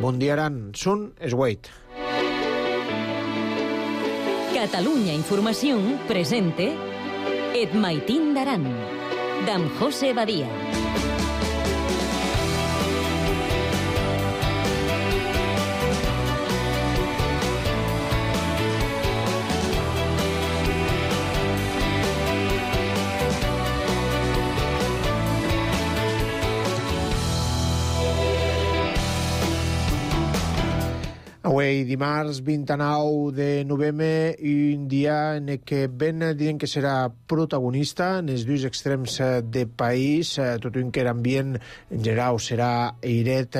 Bon dia, Aran. Sun es Wait. Catalunya Información presente Et Maitín d'Aran, d'en José Badia. Avui, dimarts 29 de novembre, un dia en què ben diuen que serà protagonista en els dos extrems de país, tot un que l'ambient en general serà airet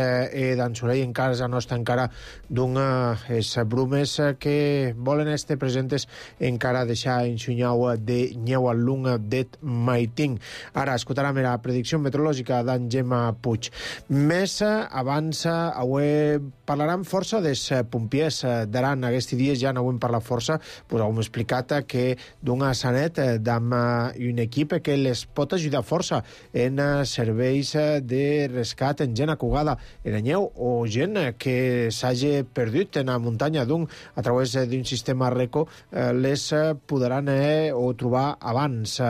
d'ensoleil en casa nostra encara d'unes brumes que volen estar presentes encara deixar enxunyau de neu al lung d'et Maitín. Ara escoltarem la predicció meteorològica d'en Gemma Puig. Més abans, avui parlarem força des pompiers d'Aran. Aquests dies ja no ho hem parlat força, pues hem explicat que d'una sanet d'am un equip que les pot ajudar força en serveis de rescat en gent acugada en la neu o gent que s'hagi perdut en la muntanya a través d'un sistema RECO les podran o trobar abans.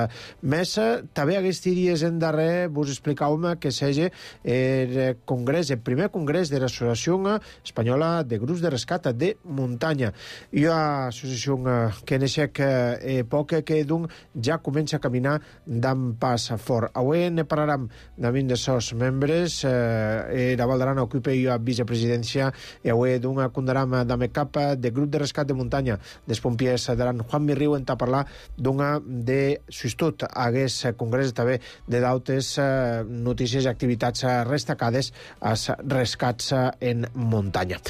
Més, també aquests dies en darrer vos explicàvem que s'hagi el congrés, el primer congrés de l'Associació Espanyola de Grups de Rescat de Muntanya. I l'associació que neixec poc que ja comença a caminar d'en pas fort. Avui ne parlarem d'un dels seus membres, la Val d'Aran ocupa la vicepresidència i avui condarem d'en cap de Grup de Rescat de Muntanya dels pompiers d'Aran. Juan Mirriu en parlar de substitut a aquest congrés també de d'altres notícies i activitats destacades als rescats en muntanya.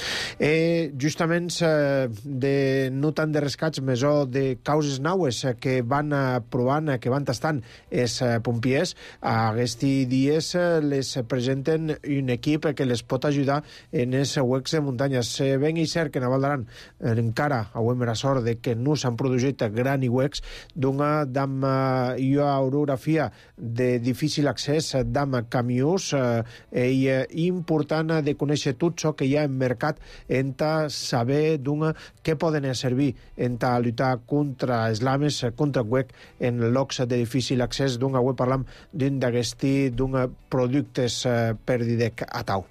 Justament de no tant de rescats, més de causes naues que van provant, que van tastant els pompiers, aquests dies les presenten un equip que les pot ajudar en els huecs de muntanyes. Ben i cert que a Val d'Aran encara avui la sort de que no s'han produït grans huecs d'am orografia de difícil accés d'am camions i important de conèixer tot això que hi ha en mercat en saber què poden servir en lluitar contra els lames, contra el huec en llocs de difícil accés. Avui parlam d'un d'aquests productes per didec a tau.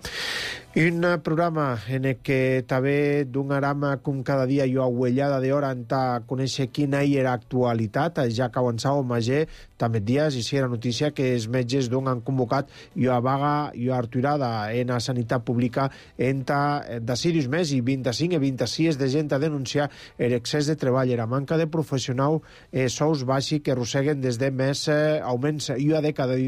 Un programa en què també donarem com cada dia jo aguellada d'hora en conèixer quina era l'actualitat, ja que avançava Magé també dies i si era notícia que els metges han convocat a vaga i a aturada en la sanitat pública entre de Sirius més i 25 i 26 de gent a denunciar l'excés de treball, la manca de professionals, sous baixos que arrosseguen des de més augments i a dècada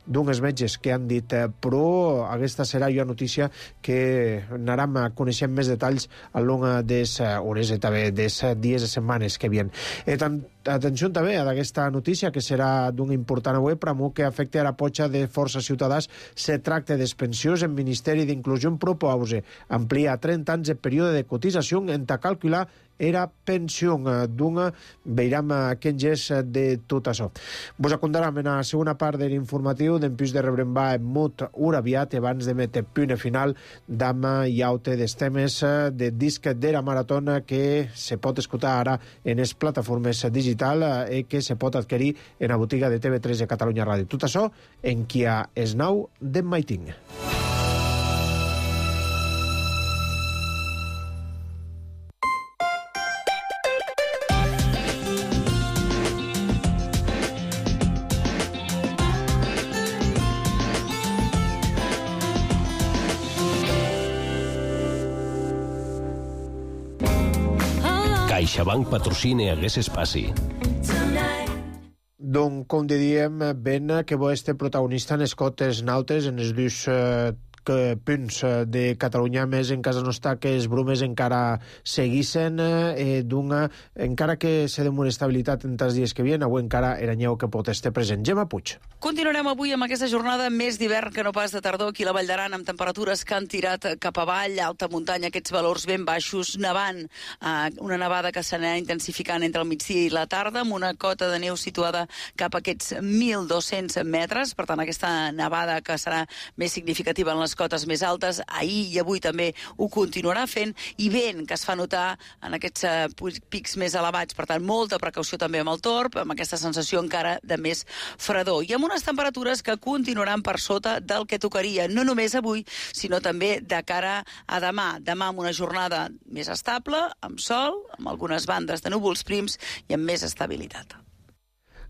d'uns metges que han dit però aquesta serà la notícia que anarem coneixent més detalls a long des hores i també des dies i setmanes que vien. Atenció també a aquesta notícia que serà d'un important avui, però que afecta a la potxa de força ciutadans. Se tracta dels pensions en Ministeri d'Inclusió propose ampliar 30 anys el període de cotització en calcular era pensió veurem quin gest de tot això. Vos acondarem en la segona part de l'informatiu d'empús de rebrembar en mut aviat abans de metre punt final d'am i aute dels temes de disc de la maratona que se pot escoltar ara en les plataformes digital i que se pot adquirir en la botiga de TV3 de Catalunya Ràdio. Tot això en qui ha es nau d'en Maitín. CaixaBank patrocina aquest espai. Donc, com diem, ben que bo este protagonista en els cotes nautes, en els dos punts de Catalunya, més en casa nostra que els brumes encara seguissin encara que se demora estabilitat en els dies que vien, avui encara era nyeu que pot estar present. Gemma Puig. Continuarem avui amb aquesta jornada més d'hivern que no pas de tardor aquí a la Vall d'Aran, amb temperatures que han tirat cap avall, alta muntanya, aquests valors ben baixos, nevant, una nevada que s'anirà intensificant entre el migdia i la tarda, amb una cota de neu situada cap a aquests 1.200 metres, per tant aquesta nevada que serà més significativa en les les cotes més altes, ahir i avui també ho continuarà fent, i vent que es fa notar en aquests pics més elevats. Per tant, molta precaució també amb el torb, amb aquesta sensació encara de més fredor. I amb unes temperatures que continuaran per sota del que tocaria, no només avui, sinó també de cara a demà. Demà amb una jornada més estable, amb sol, amb algunes bandes de núvols prims i amb més estabilitat.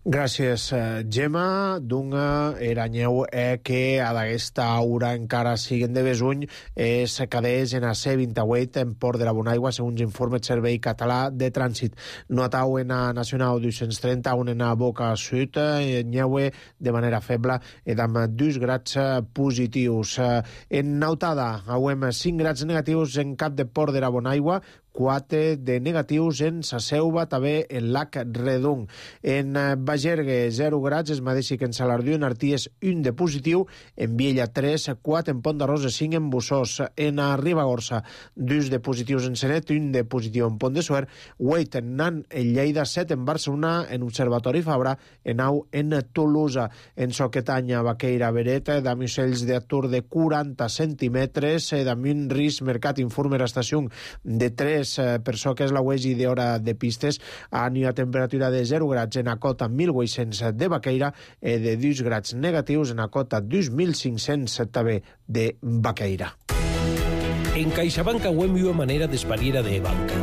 Gràcies, Gemma. Dunga eranyeu que a d'aquesta hora encara siguen de besuny es cadeix en a C28 en Port de la Bonaigua, segons informe el Servei Català de Trànsit. No atau en a Nacional 230, on en a Boca Sud, nyeue de manera feble, amb 2 grads positius. En Nautada, auem 5 grads negatius en Cap de Port de la Bonaigua, 4 de negatius en Sa Selva, també en Lac Redung. En Bagergue, 0 grads, es mateix que en Salardió, en Arties, 1 de positiu, en Viella, 3, 4 en Pont de Rosa, 5 en Bussós, en Ribagorça, 2 de positius en Senet, 1 de positiu en Pont de Suert, 8 en Nan, en Lleida, 7 en Barcelona, en Observatori Fabra, en Au, en Tolosa, en Soquetanya, Baqueira, Beret, d'ami ocells d'atur de 40 centímetres, d'ami un risc mercat informer estació de 3 per so que és la wegi d'hora de pistes, a temperatura de 0 grads en a cota 1.800 de Baqueira, de 2 grads negatius en a cota 2.500 també de Baqueira. En CaixaBank auem una manera d'espariera de banca,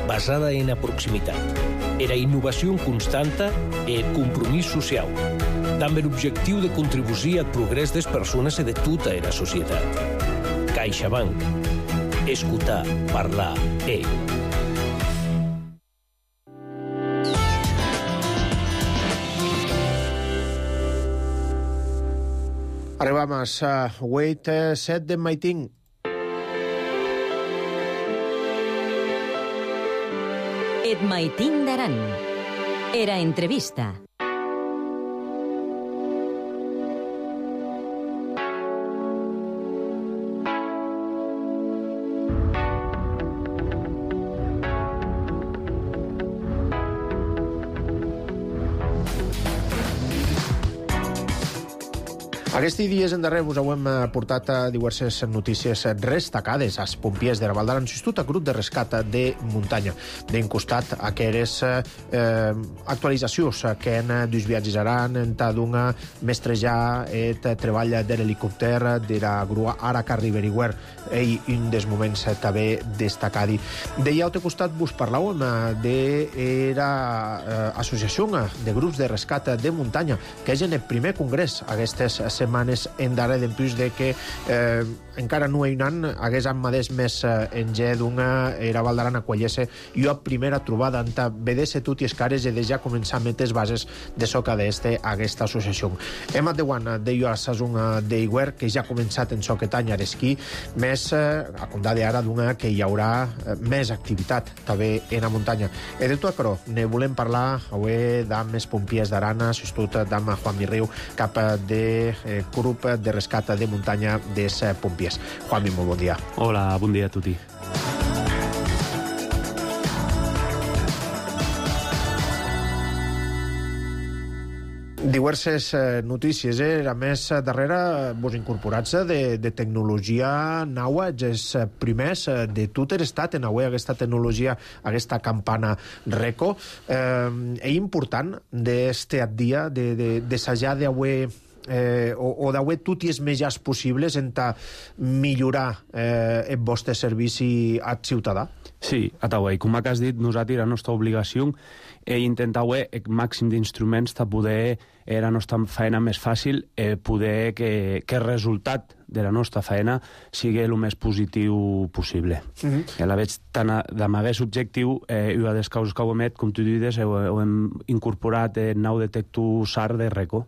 basada en la proximitat, era innovació constanta e compromís social, amb l'objectiu de contribuir al progrés des persones i de tota la societat. CaixaBank. Escutar, parlar, Arribam a 8-7 de Maiting. Et Maiting d'Aran. Era entrevista. Aquests dies endarrer vos hem portat diverses notícies destacades als pompiers de la Val d'Aran, Institut a grup de rescat de muntanya. D'un costat, aquelles actualitzacions que en dos viatges aran, en Tadunga, mestrejar el treball de l'helicòpter de la grua Araca Riberiwer, i un dels moments també destacat. De l'altre costat vos parlàvem de l'associació de grups de rescat de muntanya, que és en el primer congrés aquestes setmanes en darrer, en plus de que encara no hi han hagués amadès més en G d'una era Val d'Aran acollesse i a primera trobada anta vedesse tot i escares i de ja començar a metes bases de soca d'este aquesta associació. Hem de guana de jo a Sasung d'Iguer, que ja ha començat en Soquetanya d'esquí, més a condar d'ara d'una que hi haurà més activitat també en la muntanya. I de tot això ne volem parlar avui d'amb els pompiers d'Arana, substitut d'amb Juan Mirriu, cap de grup de rescat de muntanya dels pompiers. Juanmi, molt bon dia. Hola, bon dia a tutti. Diverses notícies, a més, darrere vos incorporats de tecnologia naua, els primers de tot l'estat en avui aquesta tecnologia, aquesta campana RECO. És important d'este dia d'assajar d'avui o d'avui tots els mitjans possibles en millorar el vostre servici al ciutadà? Sí, atauai, com has dit, nosaltres la nostra obligació és intentar el màxim d'instruments per poder la nostra feina més fàcil, poder que el resultat de la nostra feina sigui el més positiu possible. La veig tant amb aquest objectiu, una de les causes que ho hem fet, com tu dius, ho hem incorporat el nou detector SAR de RECO.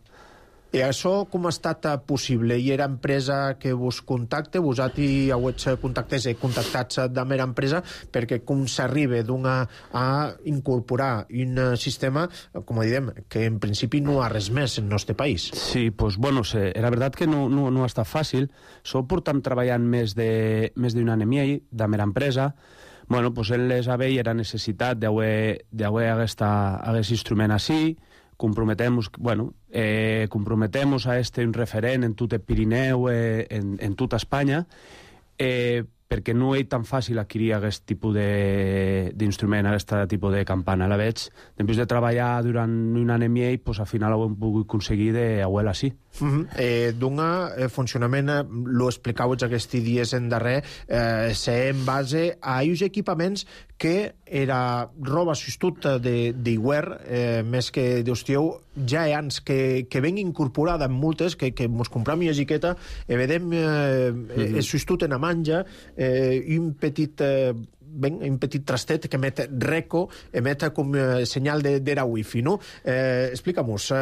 I això com ha estat possible? Hi era empresa que vos contacte, vosaltres heu contactats de mera empresa, perquè com s'arriba a incorporar un sistema, com diem, que en principi no ha res més en el nostre país? Sí, doncs, bueno, la veritat que no ha estat fàcil. Portem treballant més d'un any i mig de mera empresa. Bueno, doncs ell les havia la necessitat d'haver aquest instrument així, comprometemos a un referent en tot el Pirineu, en tota Espanya, perquè no és tan fàcil adquirir aquest tipus d'instrument, aquest tipus de campana. La veig, després de treballar durant un any i mig, al final ho hem pogut aconseguir d'auel així. D'un funcionament, lo explicàveu aquests dies en darrer, ser en base a uns equipaments que era roba sostut d'Iguer, més que d'Ostieu, ja ans que ven incorporada en moltes, que mos compram una xiqueta, i vedem sostut en a manja, un petit trastet que emet Reco, emet com senyal d'era wifi, no? Explica-mos,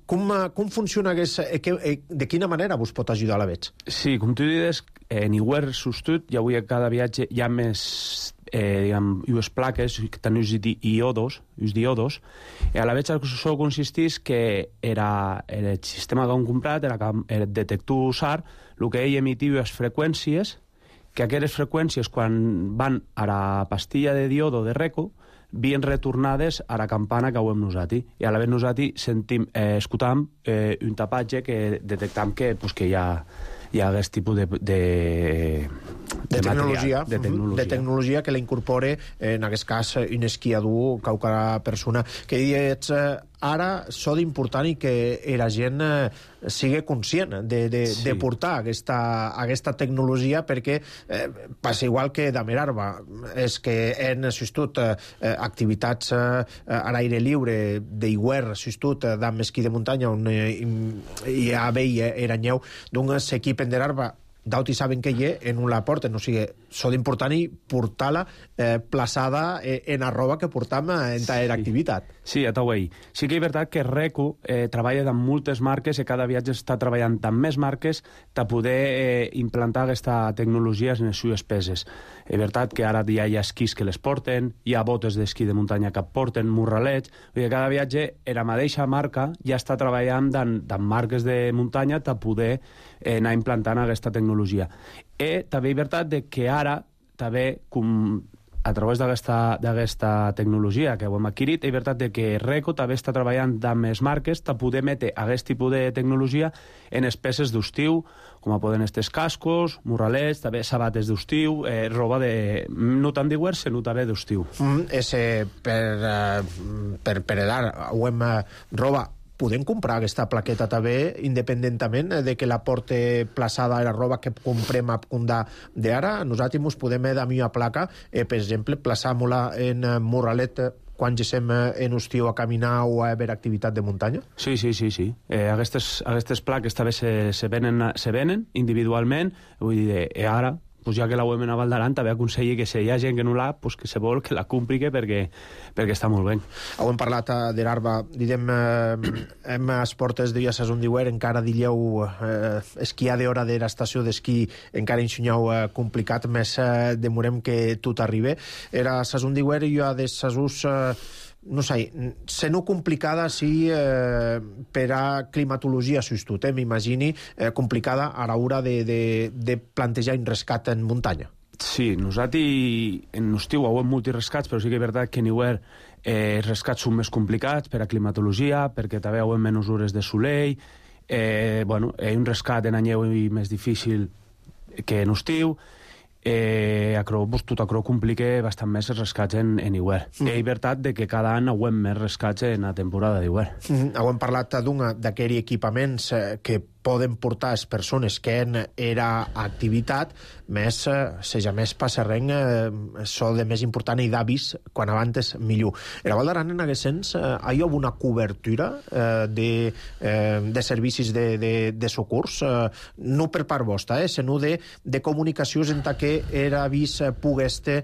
com funciona de quina manera vos pot ajudar la veig? Sí, com tu dius, en Iguer sostut, i avui a cada viatge hi ha més unes plaques que tenen uns diodos, i a la veig això consistís que el sistema que hem comprat era el detector SAR, el que ell emitiu les freqüències, que aquestes freqüències, quan van a la pastilla de diodo de Reco, vien retornades a la campana que hem nosaltres. I a la vegada nosaltres escoltam un tapatge que detectam que hi ha aquest tipus de tecnologia que la incorpore, en aquest cas, un esquiador, qualsevol persona. Que dius, ara s'ha d'important i que la gent sigui conscient de portar aquesta tecnologia, perquè passa igual que de Merarba, és que hem assistit activitats a l'aire lliure d'Iguer, assistit d'amb esquí de muntanya, on hi ha veia era nyeu, d'un s'equipen d'Erarba, d'auti saben que hi en un la porten, o sigui, s'ha d'important i portar-la plaçada en la roba que portam en tal activitat. Sí, a Tauei. Sí que és veritat que Reco treballa amb moltes marques i cada viatge està treballant amb més marques per poder implantar aquesta tecnologia en les seves peces. És veritat que ara ja hi ha esquís que les porten, hi ha botes d'esquí de muntanya que porten, morralets, vull dir, cada viatge la mateixa marca ja està treballant amb marques de muntanya per poder anar implantant aquesta tecnologia. I també és veritat que ara també, a través d'aquesta tecnologia que ho hem adquirit, és veritat que Reco també està treballant amb les marques per poder metre aquest tipus de tecnologia en les peces d'estiu, com poden estar cascos, morralets, també sabates d'estiu, roba no tant d'Iguer, sinó també d'estiu. Per edar, roba, podem comprar aquesta plaqueta també independentament de que la porte plaçada a la roba que comprem a punt d'ara. Nosaltres ens podem dar una placa, per exemple, plaçar-la en morralet quan gesem en estiu a caminar o a veure activitat de muntanya? Sí. Aquestes plaques també se venen individualment, vull dir, ara, ja que la UEM a Valdaran, també aconselli que si hi ha gent que no l'ha, que se vol que la compri perquè està molt bé. Hem parlat d'Erarba, diguem, hem as portes de la saison d'Iguer, encara dilleu esquiar d'hora de l'estació d'esquí, encara ensenyeu complicat, més demorem que tot arribi. Era saison d'Iguer i hi ha de saisons no sé, se no complicada sí per a climatologia sostut, m'imagini complicada a l'hora de plantejar un rescat en muntanya. Sí, nosaltres en estiu ho hem molts rescats, però sí que és veritat que en Iguer els rescats són més complicats per a climatologia, perquè també ho hem menys hores de solell, un rescat en anyeu més difícil que en estiu, tot això complica bastant més els rescats en Iguer. És veritat que cada any ho hem més rescats en la temporada d'Iguer. Hem parlat d'aquells equipaments que poden portar les persones que en era activitat, més més passarrenc, això de més important i d'avis, quan abans millor. A la Val d'Aran, en aquest sens, hi ha una cobertura de servicis de socors, no per part vostra, sinó de comunicacions en què era avís pugui estar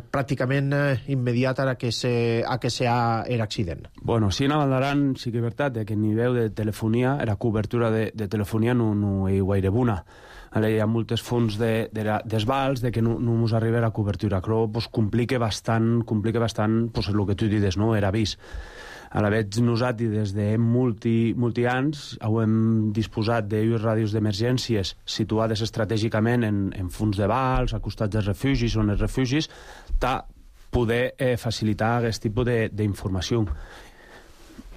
pràcticament immediat a que se ha l'accident. Bueno, sí, a la Val d'Aran sí que és veritat que a nivell de telefonia, la cobertura de telefonia no hi gaire bona. Hi ha moltes fonts d'esvals que no ens arriba la cobertura. Però complica bastant el que tu dius, no? Era avís. A la vegada nosaltres des de molts anys hem disposat d'unes ràdios d'emergències situades estratègicament en fons de vals, a costats dels refugis o en els refugis, per poder facilitar aquest tipus d'informació.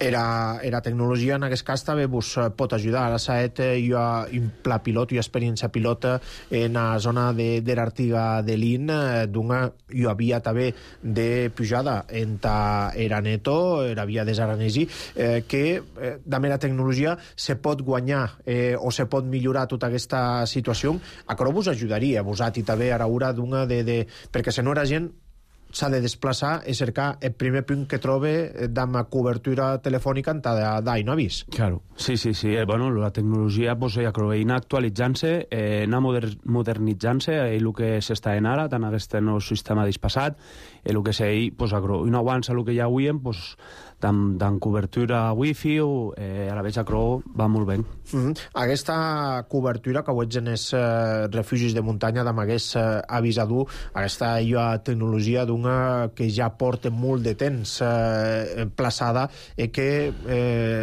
Era tecnologia en aquest cas també vos pot ajudar. Ara saet jo un pla pilot, jo experiència pilota en la zona de l'Artiga de l'In, d'una jo havia també de pujada enta Eraneto, era via des Aranesi, que també la tecnologia se pot guanyar o se pot millorar tota aquesta situació. Això vos ajudaria, vos també a hora d'una perquè se no era gent s'ha de desplaçar i cercar el primer punt que trobe d'ama cobertura telefònica en d'ahí no avís. Claro, sí. Bueno, la tecnologia pues, anar actualitzant-se, anar modernitzant-se, el que s'està en ara, tant aquest nou sistema dispassat, el que s'hi, pues, no avança el que ja avui, pues, tant cobertura wifi o a la vez acro va molt bé. Aquesta cobertura que ho ets en els refugis de muntanya d'amagués avisador, aquesta tecnologia d'una que ja porta molt de temps plaçada i que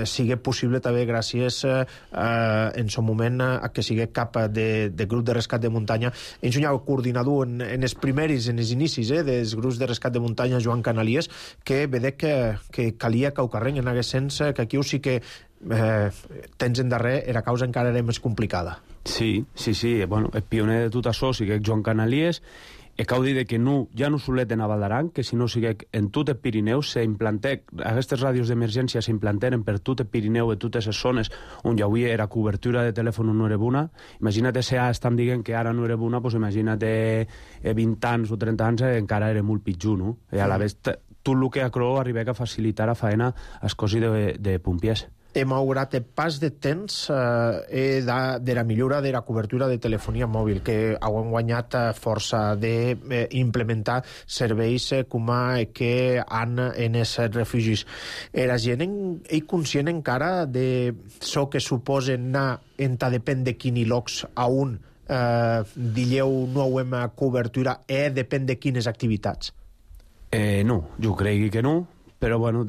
sigui possible també gràcies en son moment a que sigui cap de grup de rescat de muntanya. Ens un coordinador en els primeris, en els inicis dels grups de rescat de muntanya, Joan Canalies, que vedec que calia que ho carreguen en aquest sens, que aquí sí que tens en darrer la causa encara era més complicada. Sí. Bueno, el pioner de tot això sí que és Joan Canalies, i cal dir que ja no solet en Avaldaran, que si no sigui en tot el Pirineu aquestes ràdios d'emergència s'implanteren per tot el Pirineu i totes les zones on ja avui era cobertura de telèfon no era bona. Imagina't si estan dient que ara no era bona, doncs imagina't 20 anys o 30 anys encara era molt pitjor, no? I a la vegada tot el que arriba a facilitar la feina als cossos de pompiers. Malgrat el pas de temps de la millora de la cobertura de telefonia mòbil, que han guanyat força d'implementar serveis com que han en els refugis. La gent és conscient encara de això que suposen anar depèn de quin llocs a un dilleu no hem cobertura depèn de quines activitats? No, jo crec que no, però bueno,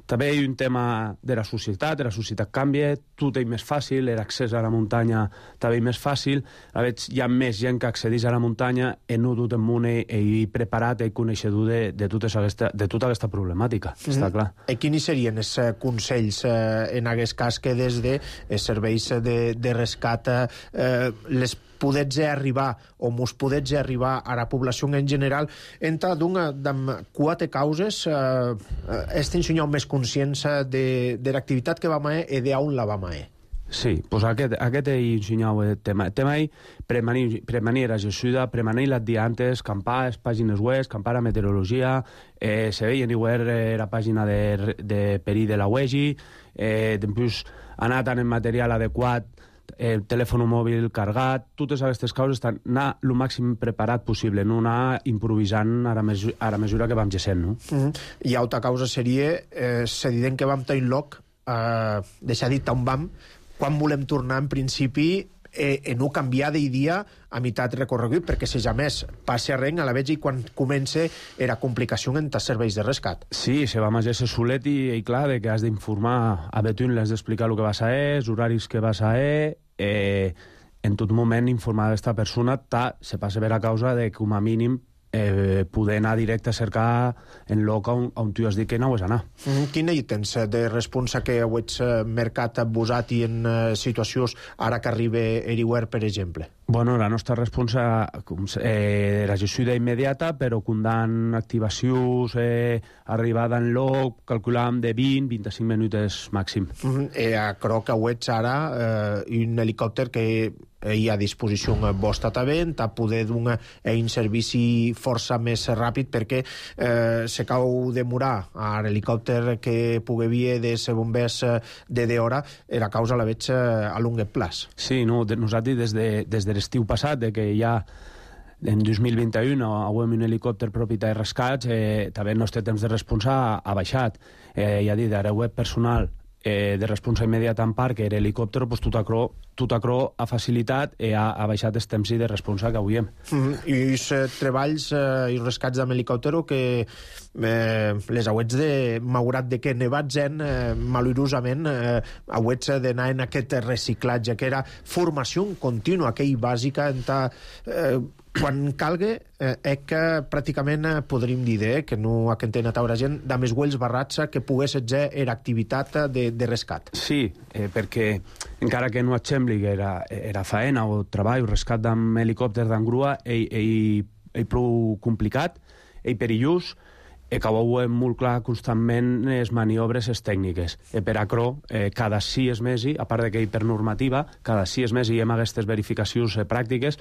també hi ha un tema de la societat canvia, tot és més fàcil, l'accés a la muntanya també és més fàcil, a veure, hi ha més gent que accedeix a la muntanya i no tot el món és preparat i coneixedor de tota aquesta problemàtica, està clar. I quins serien els consells en aquest cas que des de serveis de rescat les podets arribar o mos podets arribar a la població en general entre d'una quatre causes estem més conscients de l'activitat que vam a i d'on la vam a. Sí, doncs aquest és el tema. El tema és prevenir ajuda, prevenir les diantes, campar les pàgines web, campar la meteorologia, se veien igual la pàgina de perill de la UEGI, després anar tant en material adequat, el telèfon mòbil cargat, totes aquestes causes estan anar el màxim preparat possible, no anar improvisant a la mesura que vam gessent, no? I altra causa seria, se diuen que vam tenir lloc, deixar dit on vam, quan volem tornar en principi no canviar d'idea a meitat recorregut, perquè si ja més passi a res a la vegada i quan comença era complicació en els serveis de rescat. Sí, se va major ser solet i clar, que has d'informar a Betún, l'has d'explicar el que vas a els horaris que vas a en tot moment informar aquesta persona se passa per a causa de que com a mínim poder anar directe a cercar en lloc on tu has dit que no has d'anar. Quina hi tens de responsa que heu mercat posat i en situacions ara que arriba Eriware, per exemple? Bueno, la nostra responsa era ajuda immediata, però comptant activacions, arribada en lloc, calculàvem de 20-25 minuts màxim. Crec que ho ets ara un helicòpter que hi ha a disposició vostra també, a poder donar un servici força més ràpid, perquè se cau demorar a l'helicòpter que pugui vir dels bombers de hora, la causa la veig a long plaç. Sí, no, nosaltres des de l'estiu passat, que ja en 2021 avem un helicòpter propietat de rescats, també el nostre temps de responsa ha baixat. Ja dit, ara web personal de responsa immediata en part, que era helicòpter, doncs tot acro ha facilitat i ha baixat el temps de responsa que avui hem. I els treballs i rescats amb helicòpter que les hauets malgrat de que nevats malurosament hauets d'anar en aquest reciclatge, que era formació contínua, aquell bàsica, quan calgue, que pràcticament podríem dir que no ha que entén a taure gent, de més güells barrats que pogués ser era activitat de rescat. Sí, perquè encara que no et sembli que era faena o treball o rescat amb helicòpter d'engrua, és prou complicat, és perillós, que ho veiem molt clar constantment les maniobres tècniques. Per acro, cada 6 mesos, a part que per normativa, cada 6 mesos hi ha aquestes verificacions pràctiques,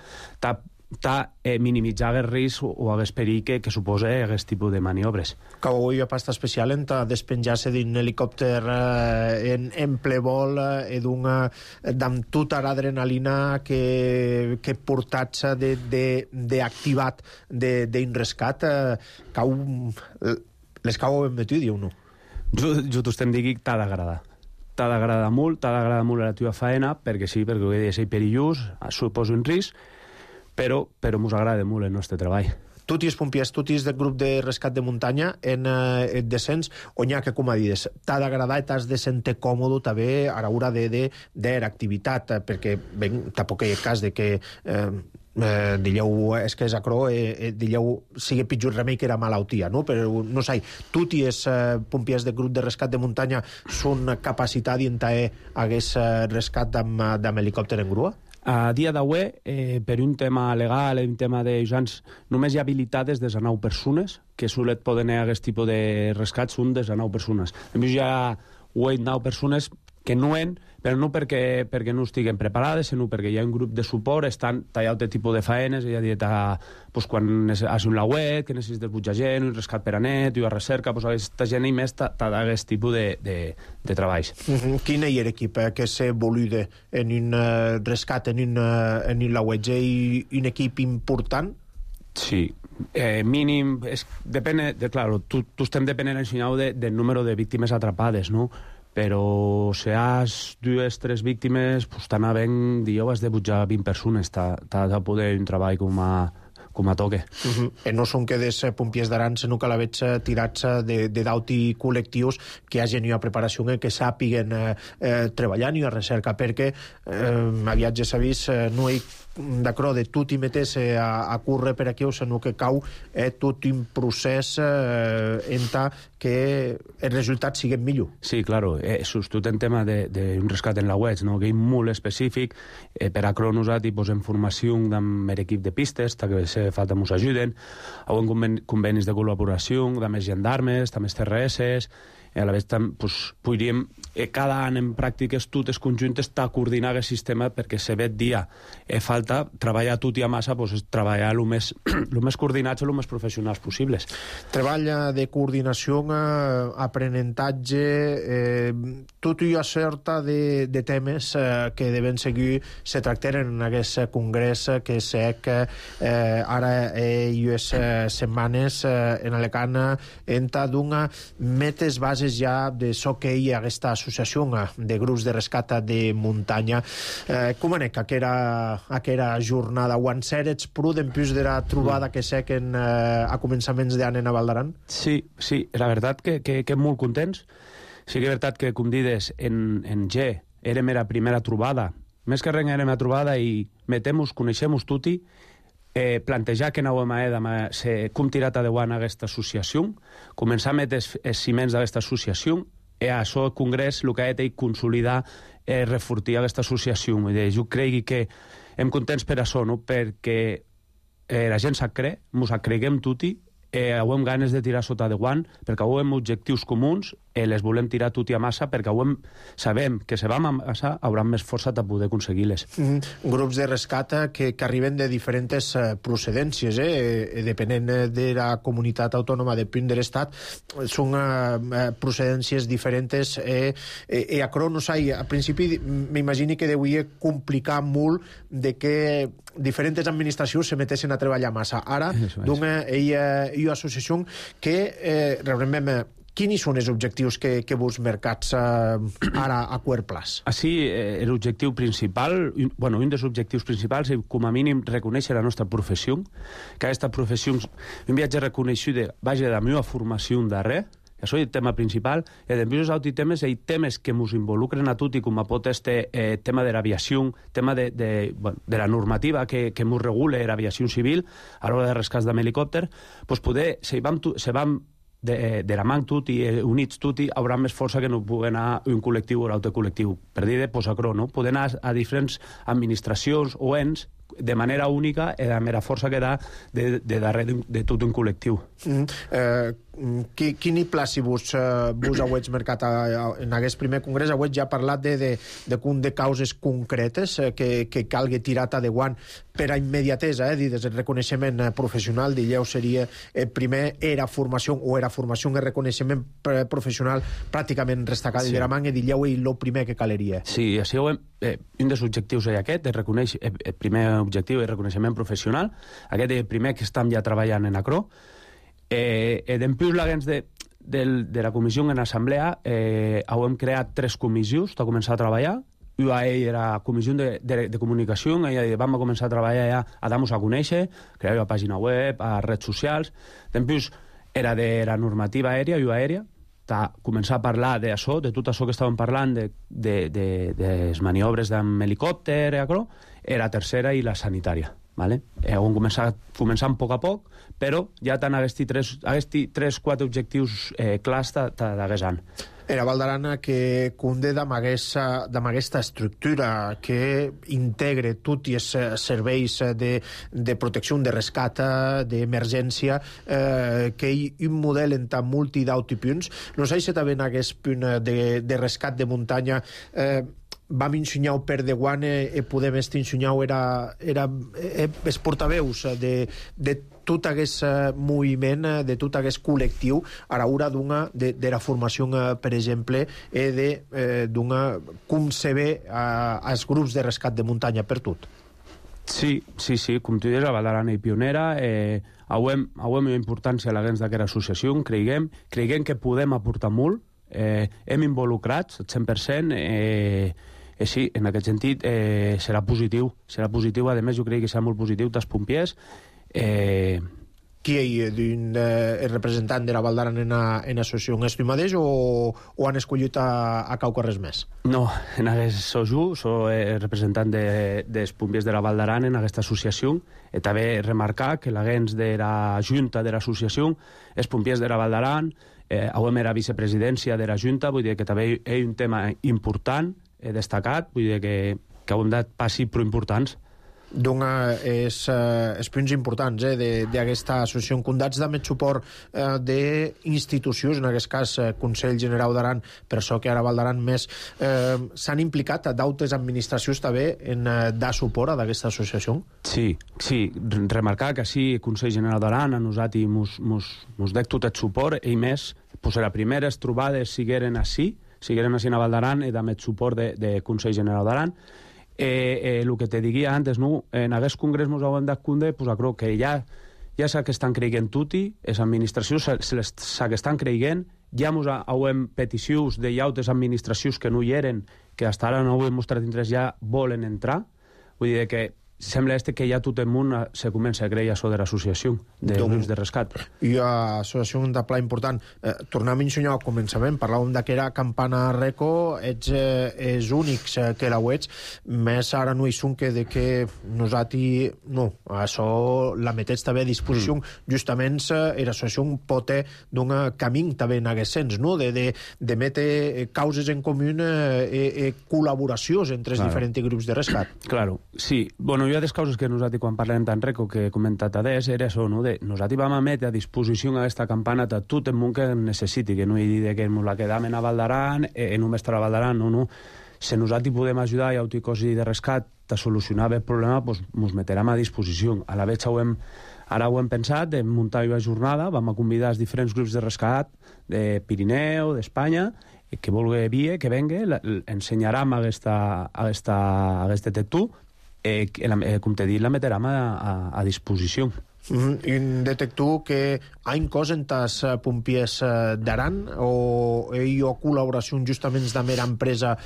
minimitzar el risc o el perill que suposa aquest tipus de maniobres. Que avui ha pasta especial en despenjar-se d'un helicòpter en ple vol amb tota l'adrenalina que portats d'activat d'un rescat les cau ben metut, diu no? Jo t'estem dient que t'ha d'agradar. T'ha d'agradar molt la teva feina, perquè sí, perquè és perillós, suposa un risc, però mos agrada molt el nostre treball. Tu tis pompiers, tu tis del grup de rescat de muntanya en descens, on hi ha que, com a dius, t'ha d'agradar i t'has de sentir còmode també a l'hora d'activitat, perquè tampoc hi ha cas de que dilleu, és que és acro, dilleu sigui pitjor remei que era malaltia, no? Però no sé, tu tis pompiers del grup de rescat de muntanya són capacitat d'entrar hagués rescat amb helicòpter en grua? A dia d'avui, per un tema legal, un tema d'ajants, només hi ha habilitades des de 9 persones, que solet poden haver aquest tipus de rescats, són des de 9 persones. A més, hi ha 8-9 persones que no en, però no perquè no estiguen preparades, sinó perquè hi ha un grup de suport, estan tallant aquest tipus de faenes, hi ha dit quan has un lauet, que necessites butjar gent, un rescat per a net, una recerca, aquesta gent i més t'ha d'aquest tipus de treballs. Quin és l'equip que s'ha volut en un rescat, en un lauet? És un equip important? Sí, mínim, depèn, claro, tu estem depenent del número de víctimes atrapades, no? Però si has 2-3 víctimes, t'han havent, has de butjar 20 persones, t'ha de poder un treball com a toque. No són que des pompiers d'Aran, sinó que la veig tirats d'auti col·lectius que hagin una preparació que sàpiguen treballar i a recerca, perquè aviat ja s'ha vist, no hi d'acro de tu t'hi metes a córrer per aquí, sinó que cau tot un procés que els resultats siguin millor. Sí, claro, sobretot en tema d'un rescat en la web, no? Que és molt específic, per acro nosaltres posem formació amb l'equip de pistes, que se falta ens ajuden, hi ha convenis de col·laboració amb més gendarmes, amb TRS, a la vegada podríem cada any en pràctiques totes conjuntes coordinar el sistema, perquè se ve dia falta treballar tot i a massa, treballar el més coordinats i el més professionals possibles. Treball de coordinació, aprenentatge, tot i una certa de temes que deven seguir se tractaren en aquest congrés que sé que ara i les setmanes en Alacant enta d'una metes bases ja de so que hi ha aquesta associació de grups de rescat de muntanya. Com anec aquella jornada? Ho han serets pruden plus de la trobada que sé que a començaments d'any a Val d'Aran? Sí, la veritat que molt contents. Sí que és veritat que, com dides, en G érem la primera trobada. Més que res érem la trobada i metem-nos, coneixem-nos tutti, plantejar que anàvem com tirat endavant aquesta associació, començar a metre els ciments d'aquesta associació, i a això el congrés el que ha de consolidar i refortir aquesta associació. Jo crec que hem contents per això, no? Perquè la gent s'ha cregut, ens creguem tutti, hem ganes de tirar sota de guant, perquè hem objectius comuns, les volem tirar tot i a massa, perquè sabem que si vam a massa hauran més força de poder aconseguir-les. Grups de rescat que arriben de diferents procedències, depenent de la comunitat autònoma, depèn de l'estat, són procedències diferents, i a Cronos, a principi m'imagini que deuria complicar molt de que diferents administracions se metessin a treballar massa. Ara, d'una associació que realment quins són els objectius que vos mercats ara a quart plaç? Així, l'objectiu principal, un dels objectius principals és, com a mínim, reconèixer la nostra professió, que aquesta professió, un viatge reconeixut, vaja, de la meva formació darrere, Això és el tema principal. E dempús els altres temes, hi temes que ens involucren a tutti, com pot este tema de l'aviació, tema de la normativa que ens regula l'aviació civil a l'hora de rescats amb helicòpter, doncs poder, se vam de la man tutti, units tutti, haurà més força que no pugui anar un col·lectiu o l'altre col·lectiu. Per dir de posacró, no? Poder anar a diferents administracions o ens de manera única i de la mera força que da de darrere de tot un col·lectiu. Quin hi placi vos hauets marcat en aquest primer congrés? Hauets ja parlat de causes concretes que calgui tirar de guant per a immediatesa, des del reconeixement professional, dilleu seria primer era formació i reconeixement professional pràcticament restacada de la man, i dilleu el primer que caleria. Sí, així un dels objectius és aquest, el primer objectiu és reconeixement professional, aquest és el primer que estem ja treballant en ACRO. Dempús l'agents de la comissió en assemblea hem creat 3 comissions de començar a treballar. UAE era comissió de comunicació, i vam començar a treballar ja a dar-nos a conèixer, crear la pàgina web, a redes socials. Dempús era de la normativa aèria, UAE, començar a parlar d'això, de tot això que estàvem parlant, de les maniobres amb helicòpter, era la tercera i la sanitària. Hem començat poc a poc, però ja tant aquests 3-4 objectius clars d'aquest any. Era Val d'Aran que conde d'aquesta estructura que integre tots els serveis de protecció, de rescat, d'emergència, que hi ha un model en tant multi d'autopunts. No sé si també en aquest punt de rescat de muntanya vam ensenyar per de guant i podem ensenyar els portaveus de tot aquest moviment, de tot aquest col·lectiu a l'hora de la formació, per exemple, d'una com se ve als grups de rescat de muntanya per tot. Sí, com tu dius, la Val d'Aran és pionera, hauem una importància a l'agents d'aquesta associació, creiem que podem aportar molt, hem involucrats al 100%, sí, en aquest sentit serà positiu, a més jo crec que serà molt positiu dels pompiers. Qui és el representant de la Val d'Aran en l'associació? És tu mateix o han escollit a cauca res més? No, en aquest soc el representant dels pompiers de la Val d'Aran en aquesta associació, i també remarcar que l'agents de la junta de l'associació és pompiers de la Val d'Aran, hem era vicepresidència de la junta, vull dir que també és un tema important, destacat, vull dir que hem dat passi prou importants. Doncs els punts importants d'aquesta associació. Condats de més suport d'institucions, en aquest cas Consell General d'Aran, per això que ara Val d'Aran més s'han implicat d'altres administracions també en dar suport a aquesta associació? Sí, remarcar que sí, Consell General d'Aran a nosaltres mos dec tot el suport, i més, les primeres trobades sigueren així a Val d'Aran, i amb el suport de Consell General d'Aran. El que te diria antes, en aquest congrés ens hem dat compte que ja s'ha que estan creient tutti, les administracions s'ha que estan creient, ja hem peticions de altres administracions que no hi eren, que fins ara no ho hem mostrat interès, ja volen entrar. Vull dir que sembla que ja tot el món se comença a creure això de l'associació de grups de rescat. I l'associació de pla important. Tornem a ensenyar al començament, parlàvem que era Campana Reco, ets els únics que la ets, més ara no hi són que nosaltres no, això la metets també a disposició, justament l'associació pot d'un camí també en aquest sens, de metre causes en comú i col·laboracions entre els diferents grups de rescat. Claro, sí. Bueno, hi ha des causes que nosaltres, quan parlem tant Reco, que he comentat adés, era això, nosaltres vam emetre a disposició aquesta campana de tot el món que necessiti, que no hi digui que ens la quedam a Val d'Aran, només a Val d'Aran, no. Si nosaltres podem ajudar i altres coses de rescat a solucionar el problema, doncs ens metrem a disposició. A la vegada ara ho hem pensat, de muntar una jornada, vam a convidar els diferents grups de rescat de Pirineu, d'Espanya, que vulgui vir, que vengui, ensenyarem aquest detector, com t'he dit, la metrem a disposició. I un detector que ha inclòs en els pompiers d'Aran o hi ha col·laboració justament de mera empresa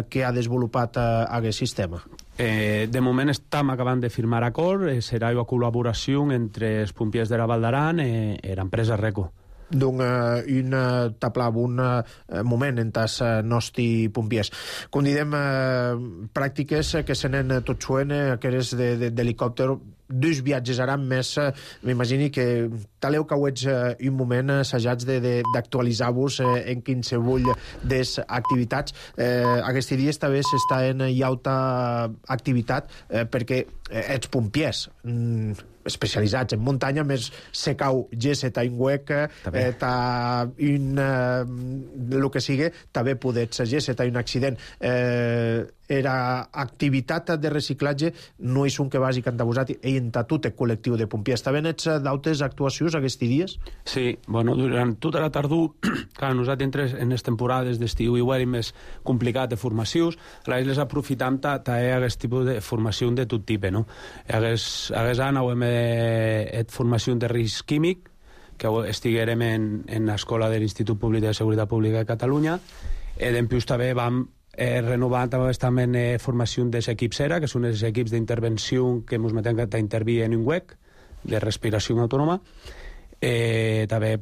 que ha desenvolupat aquest sistema? De moment estem acabant de firmar acord, serà una col·laboració entre els pompiers de la Val d'Aran i l'empresa Reco. un tablab, un moment en tas nostri pompiers. Com didem, pràctiques que se n'han tot suent, aquelles d'helicòpter, dos viatges ara més, m'imagini que taleu que ho ets un moment assajats d'actualitzar-vos en qualsevol des activitats. Aquests dies també s'està en alta activitat perquè ets pompiers especialitzats en muntanya, més se cau gesset a un huec, el que sigui, també podets gesset a un accident. Era activitat de reciclatge no és un que vagi cantavosat i en tot el col·lectiu de pompiers. També ets d'altres actuacions aquests dies? Sí, bueno, durant tota la tardor, clar, nosaltres en les temporades d'estiu i ho més complicat de formacions, les aprofitam aquest tipus de formació de tot tipus, no? Hagués any formació de risc químic, que estiguérem en l'escola de l'Institut Públic de Seguretat Pública de Catalunya, i dempeus també vam renovar també formació dels equips ERA, que són els equips d'intervenció que ens meten a intervir en un huec de respiració autònoma. També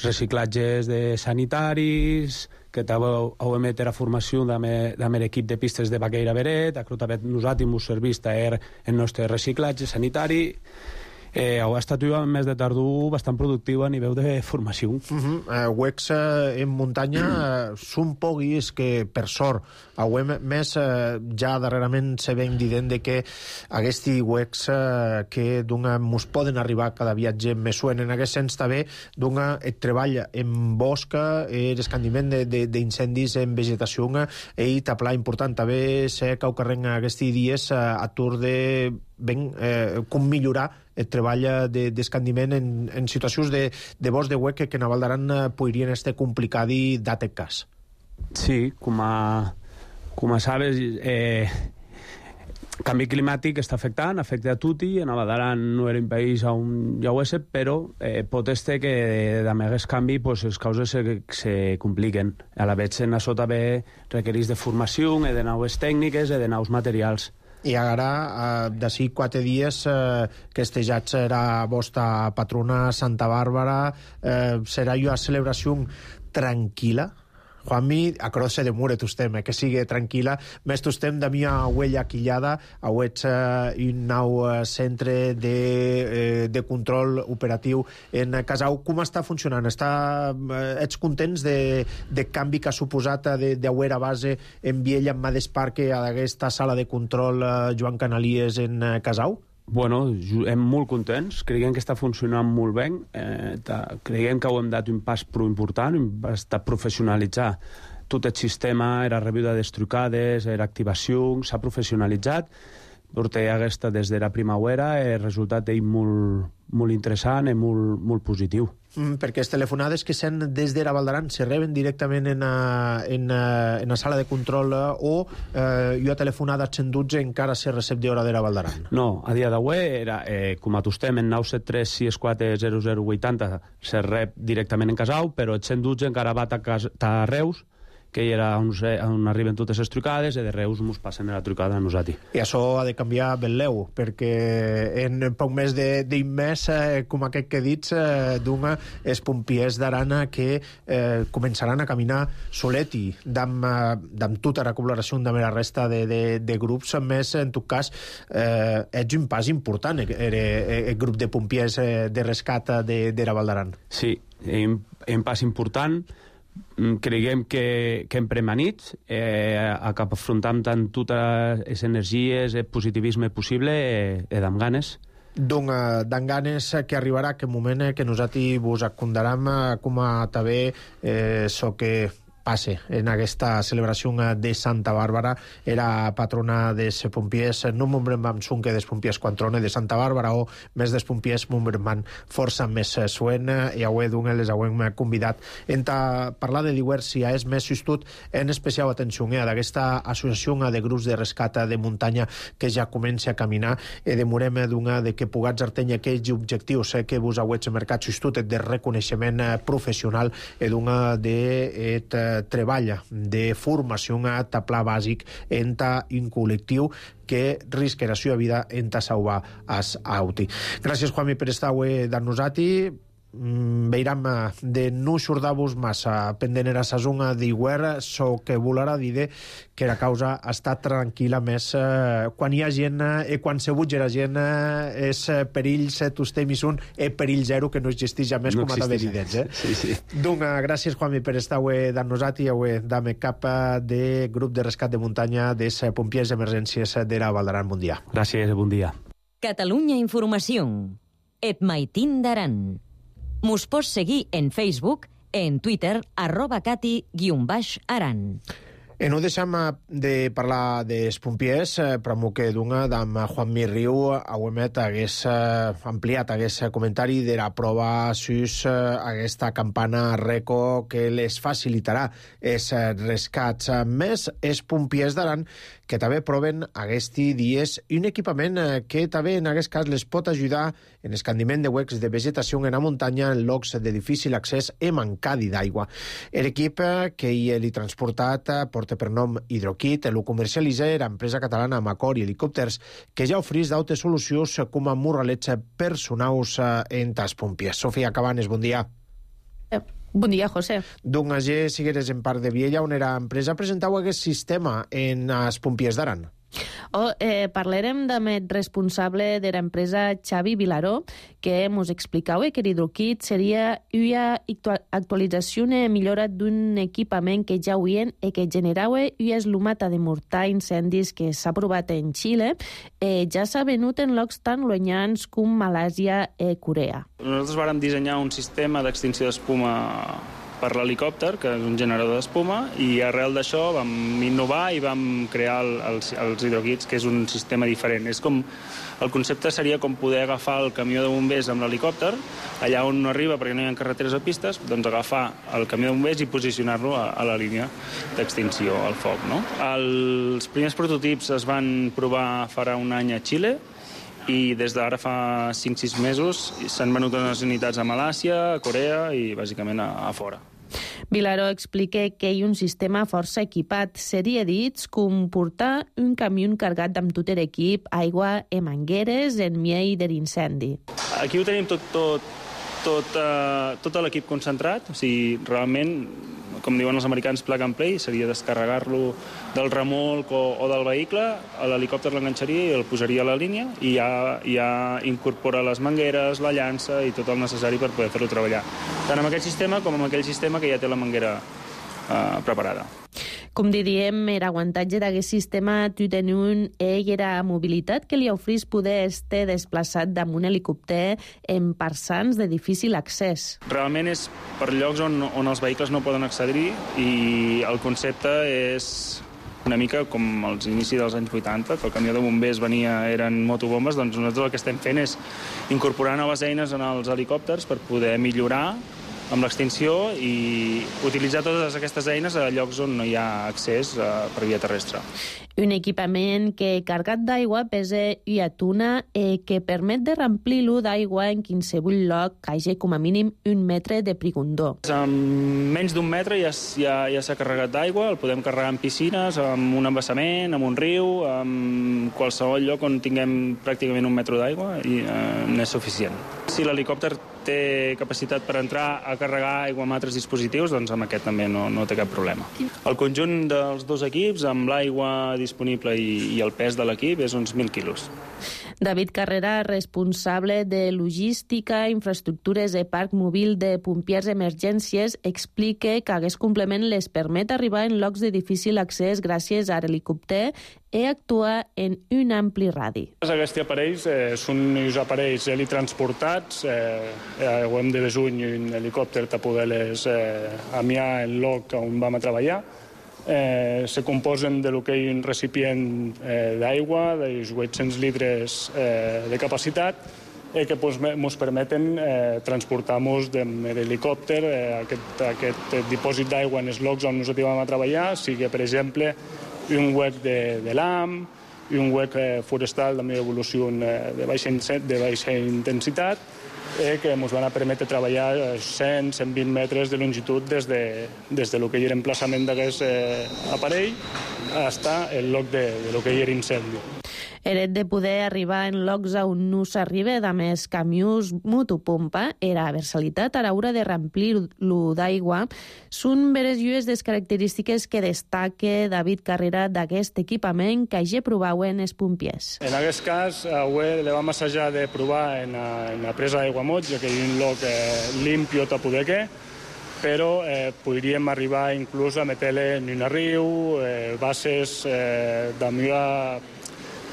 reciclatges de sanitaris, que també hem de la formació amb l'equip de pistes de Baqueira Beret, també nosaltres ens serveix el nostre reciclatge sanitari. Ha estat un mes de tardor bastant productiu a nivell de formació. Huecs en muntanya són pocs que, per sort, més ja darrerament se ven dient que aquests huecs que ens poden arribar cada viatge més suen. En aquest sens també el treball en bosc, l'escandiment d'incendis en vegetació i taplar important. També sé que ho carreguen aquests dies a tur de com millorar el treball d'escandiment en situacions de bosc de huec que en Val d'Aran podrien estar complicat i d'aquest cas. Sí, com a sabes, canvi climàtic està afecta a tutti. En Val d'Aran no era un país on ja ho és, però pot ser que amb aquest canvi les causes se compliquen. A la vegada en això també requereix de formació, de noves tècniques i de nous materials. I ara, d'ací 4 dies, que estejats serà vostra patrona Santa Bàrbara, serà una celebració tranquil·la? Juanmi, a croce de mure tostem, que sigui tranquil·la. Més tostem de mia huella quillada, ets un nou centre de control operatiu en Casau. Com està funcionant? Ets contents de canvi que ha suposat d'haver a base en Viella, en Mades Parque, a aquesta sala de control Joan Canalies en Casau? Bueno, hem molt contents, creiem que està funcionant molt bé, creiem que ho hem dat un pas prou important, està professionalitzar tot el sistema, era rebuda de trucades, era activació, s'ha professionalitzat, portem aquesta des de la primavera, el resultat és molt interessant i molt positiu. Perquè les telefonades que sent des de Val d'Aran se reben directament en la sala de control o jo a telefonada a 112 encara se recep d'hora de Val d'Aran? No, a dia d'avui era, com a tostem en 973 64 0080 se rep directament en Casau, però el 112 encara va a Reus, que era on arriben totes les trucades, i de Reus ens passen la trucada a nosaltres. I això ha de canviar ben leu, perquè en poc més d'un mes, com aquest que dits, els pompiers d'Arana que començaran a caminar soleti, amb tota la col·laboració amb la resta de grups, més, en tot cas, ets un pas important, el grup de pompiers de rescat de la Val d'Aran. Sí, un pas important. Creiem que hem premanit a cap afrontam tant totes les energies, el positivisme possible i amb ganes. Doncs d'en ganes que arribarà aquest moment que nosaltres vos acondaram com a també so que passe en aquesta celebració de Santa Bàrbara. Era patrona dels pompiers, no m'ombrem sonque dels pompiers quan trone de Santa Bàrbara o més dels pompiers m'ombrem força més suen i avui les hem convidat a parlar de diversia és més justut en especial atenció d'aquesta associació de grups de rescat de muntanya que ja comença a caminar i demorem de que pugats artenya aquells objectius que vos hauets marcat justut de reconeixement professional i de treballa de formació a taplar bàsic en un col·lectiu que risquera la seva vida en salvar els auti. Gràcies, Juanmi, per estar avui amb nosaltres. veiram de no xordar-vos massa pendent era sazonga d'iguer, so que volarà dir que la causa està tranquil·la més quan hi ha gent i quan se butge la gent és perills tostem i són perill zero que no existeix ja més com a d'haver dit. Sí. Donc, gràcies, Juanmi, per estar avui d'en nosaltres i avui d'ame cap de grup de rescat de muntanya dels pompiers d'emergències de la Val d'Aran. Bon dia. Gràcies, bon dia. Catalunya Informació. Et maitin d'Aran. Mos pots seguir en Facebook, en Twitter, @cati_aran. No deixem de parlar dels pompiers, però que d'una d'en Juanmi Riu Auemet hagués ampliat hagués comentari de la prova sus aquesta campana RECO que les facilitarà els rescats. Més, els pompiers d'Aran que també proven aquests dies un equipament que també en aquest cas les pot ajudar en escandiment de huecs de vegetació en la muntanya en llocs de difícil accés i mancadi d'aigua. L'equip que hi he transportat porta per nom Hidrokit, el comercialitza l'empresa catalana Macor i Helicòpters, que ja ofereix d'altres solucions com a morralets personals en tas pompiers. Sofia Cabanes, bon dia. Bon dia, José. Doncs allà sigueres en Parc de Viella, on era empresa, presentau aquest sistema en els pompiers d'Aran. Parlarem amb el responsable de l'empresa Xavi Vilaró, que ens explicava que l'Hidrokit seria una actualització i millora d'un equipament que ja havien i que generava una eslumata de mortar incendis que s'ha provat en Xile. Ja s'ha venut en llocs tan llunyans com Malàsia i Corea. Nosaltres vàrem dissenyar un sistema d'extinció d'espuma per l'helicòpter, que és un generador d'espuma, i arrel d'això vam innovar i vam crear els hidrokits, que és un sistema diferent. El concepte seria com poder agafar el camió de bombers amb l'helicòpter, allà on no arriba perquè no hi ha carreteres o pistes, doncs agafar el camió de bombers i posicionar-lo a la línia d'extinció al foc. No? Els primers prototips es van provar farà un any a Xile, i des d'ara fa 5-6 mesos s'han venut unes unitats a Malàsia, a Corea i bàsicament a fora. Vilaró explica que hi ha un sistema força equipat. Seria dit com portar un camió carregat amb tot l'equip, aigua i mangueres en miei de l'incendi. Aquí ho tenim tot l'equip concentrat, o sigui, realment, com diuen els americans, plug and play, seria descarregar-lo del remolc o del vehicle, l'helicòpter l'enganxaria i el posaria a la línia i ja incorpora les mangueres, la llança i tot el necessari per poder fer-lo treballar. Tant amb aquest sistema com amb aquell sistema que ja té la manguera preparada. Com diríem, l'aguantatge d'aquest sistema tu teniu la mobilitat que li oferís poder estar desplaçat damunt un helicòpter en parsans de difícil accés. Realment és per llocs on els vehicles no poden accedir i el concepte és una mica com als inicis dels anys 80, que el camió de bombers eren motobombes, doncs nosaltres el que estem fent és incorporar noves eines en els helicòpters per poder millorar amb l'extinció i utilitzar totes aquestes eines a llocs on no hi ha accés per via terrestre. Un equipament que, carregat d'aigua, pesa una tona i que permet de remplir-lo d'aigua en qualsevol lloc que hagi com a mínim 1 metre de prigondó. Amb menys d'1 metre ja s'ha carregat d'aigua, el podem carregar en piscines, amb un embassament, amb un riu, en qualsevol lloc on tinguem pràcticament 1 metre d'aigua i n'és suficient. Si l'helicòpter té capacitat per entrar a carregar aigua amb altres dispositius, doncs amb aquest també no té cap problema. El conjunt dels dos equips, amb l'aigua disponible i el pes de l'equip, és uns 1.000 quilos. David Carrera, responsable de logística, infraestructures i parc mòbil de pompiers emergències, explica que aquest complement les permet arribar en llocs de difícil accés gràcies a l'helicòpter i actuar en un ampli radi. Aquests aparells són uns aparells helitransportats, ho hem de besuny un helicòpter per poder-les amiar en lloc on vam a treballar. Se composen de lo que hi ha un recipient d'aigua, d'uns 800 litres de capacitat, que ens permeten transportar-nos de l'helicòpter aquest dipòsit d'aigua en els llocs on nosaltres vam a treballar, sigui, per exemple, un huec de l'AM, un huec forestal també d'evolució de baixa intensitat, que ens van permetre treballar 100-120 metres de longitud des de lo que hi era emplaçament d'aquest aparell fins al lloc de lo que hi era incendi. Eret de poder arribar en llocs on no s'arriba de més camions motopompa, era versalitat a l'hora de remplir-lo d'aigua, són veres llues des característiques que destaca David Carrera d'aquest equipament que ja provauen els pompiers. En aquest cas, le vam assajar de provar en la presa d'aigua mots, ja que hi ha un lloc limpio a poder que, però podríem arribar inclús a meter-le en un riu, bases de millor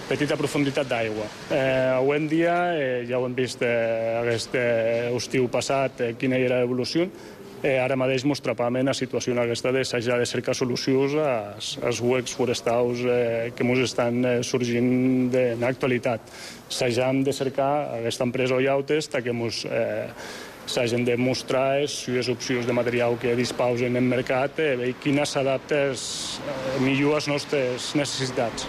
petita profunditat d'aigua. Avui en dia, ja ho hem vist aquest estiu passat, quina era l'evolució, ara mateix mos trapam en la situació en aquesta d'assajar de cercar solucions als huecs forestals que mos estan sorgint en l'actualitat. Assajam de cercar aquesta empresa Oyautes que mos s'hagin de mostrar les opcions de material que disposen en mercat i quina s'adapta millor a les nostres necessitats.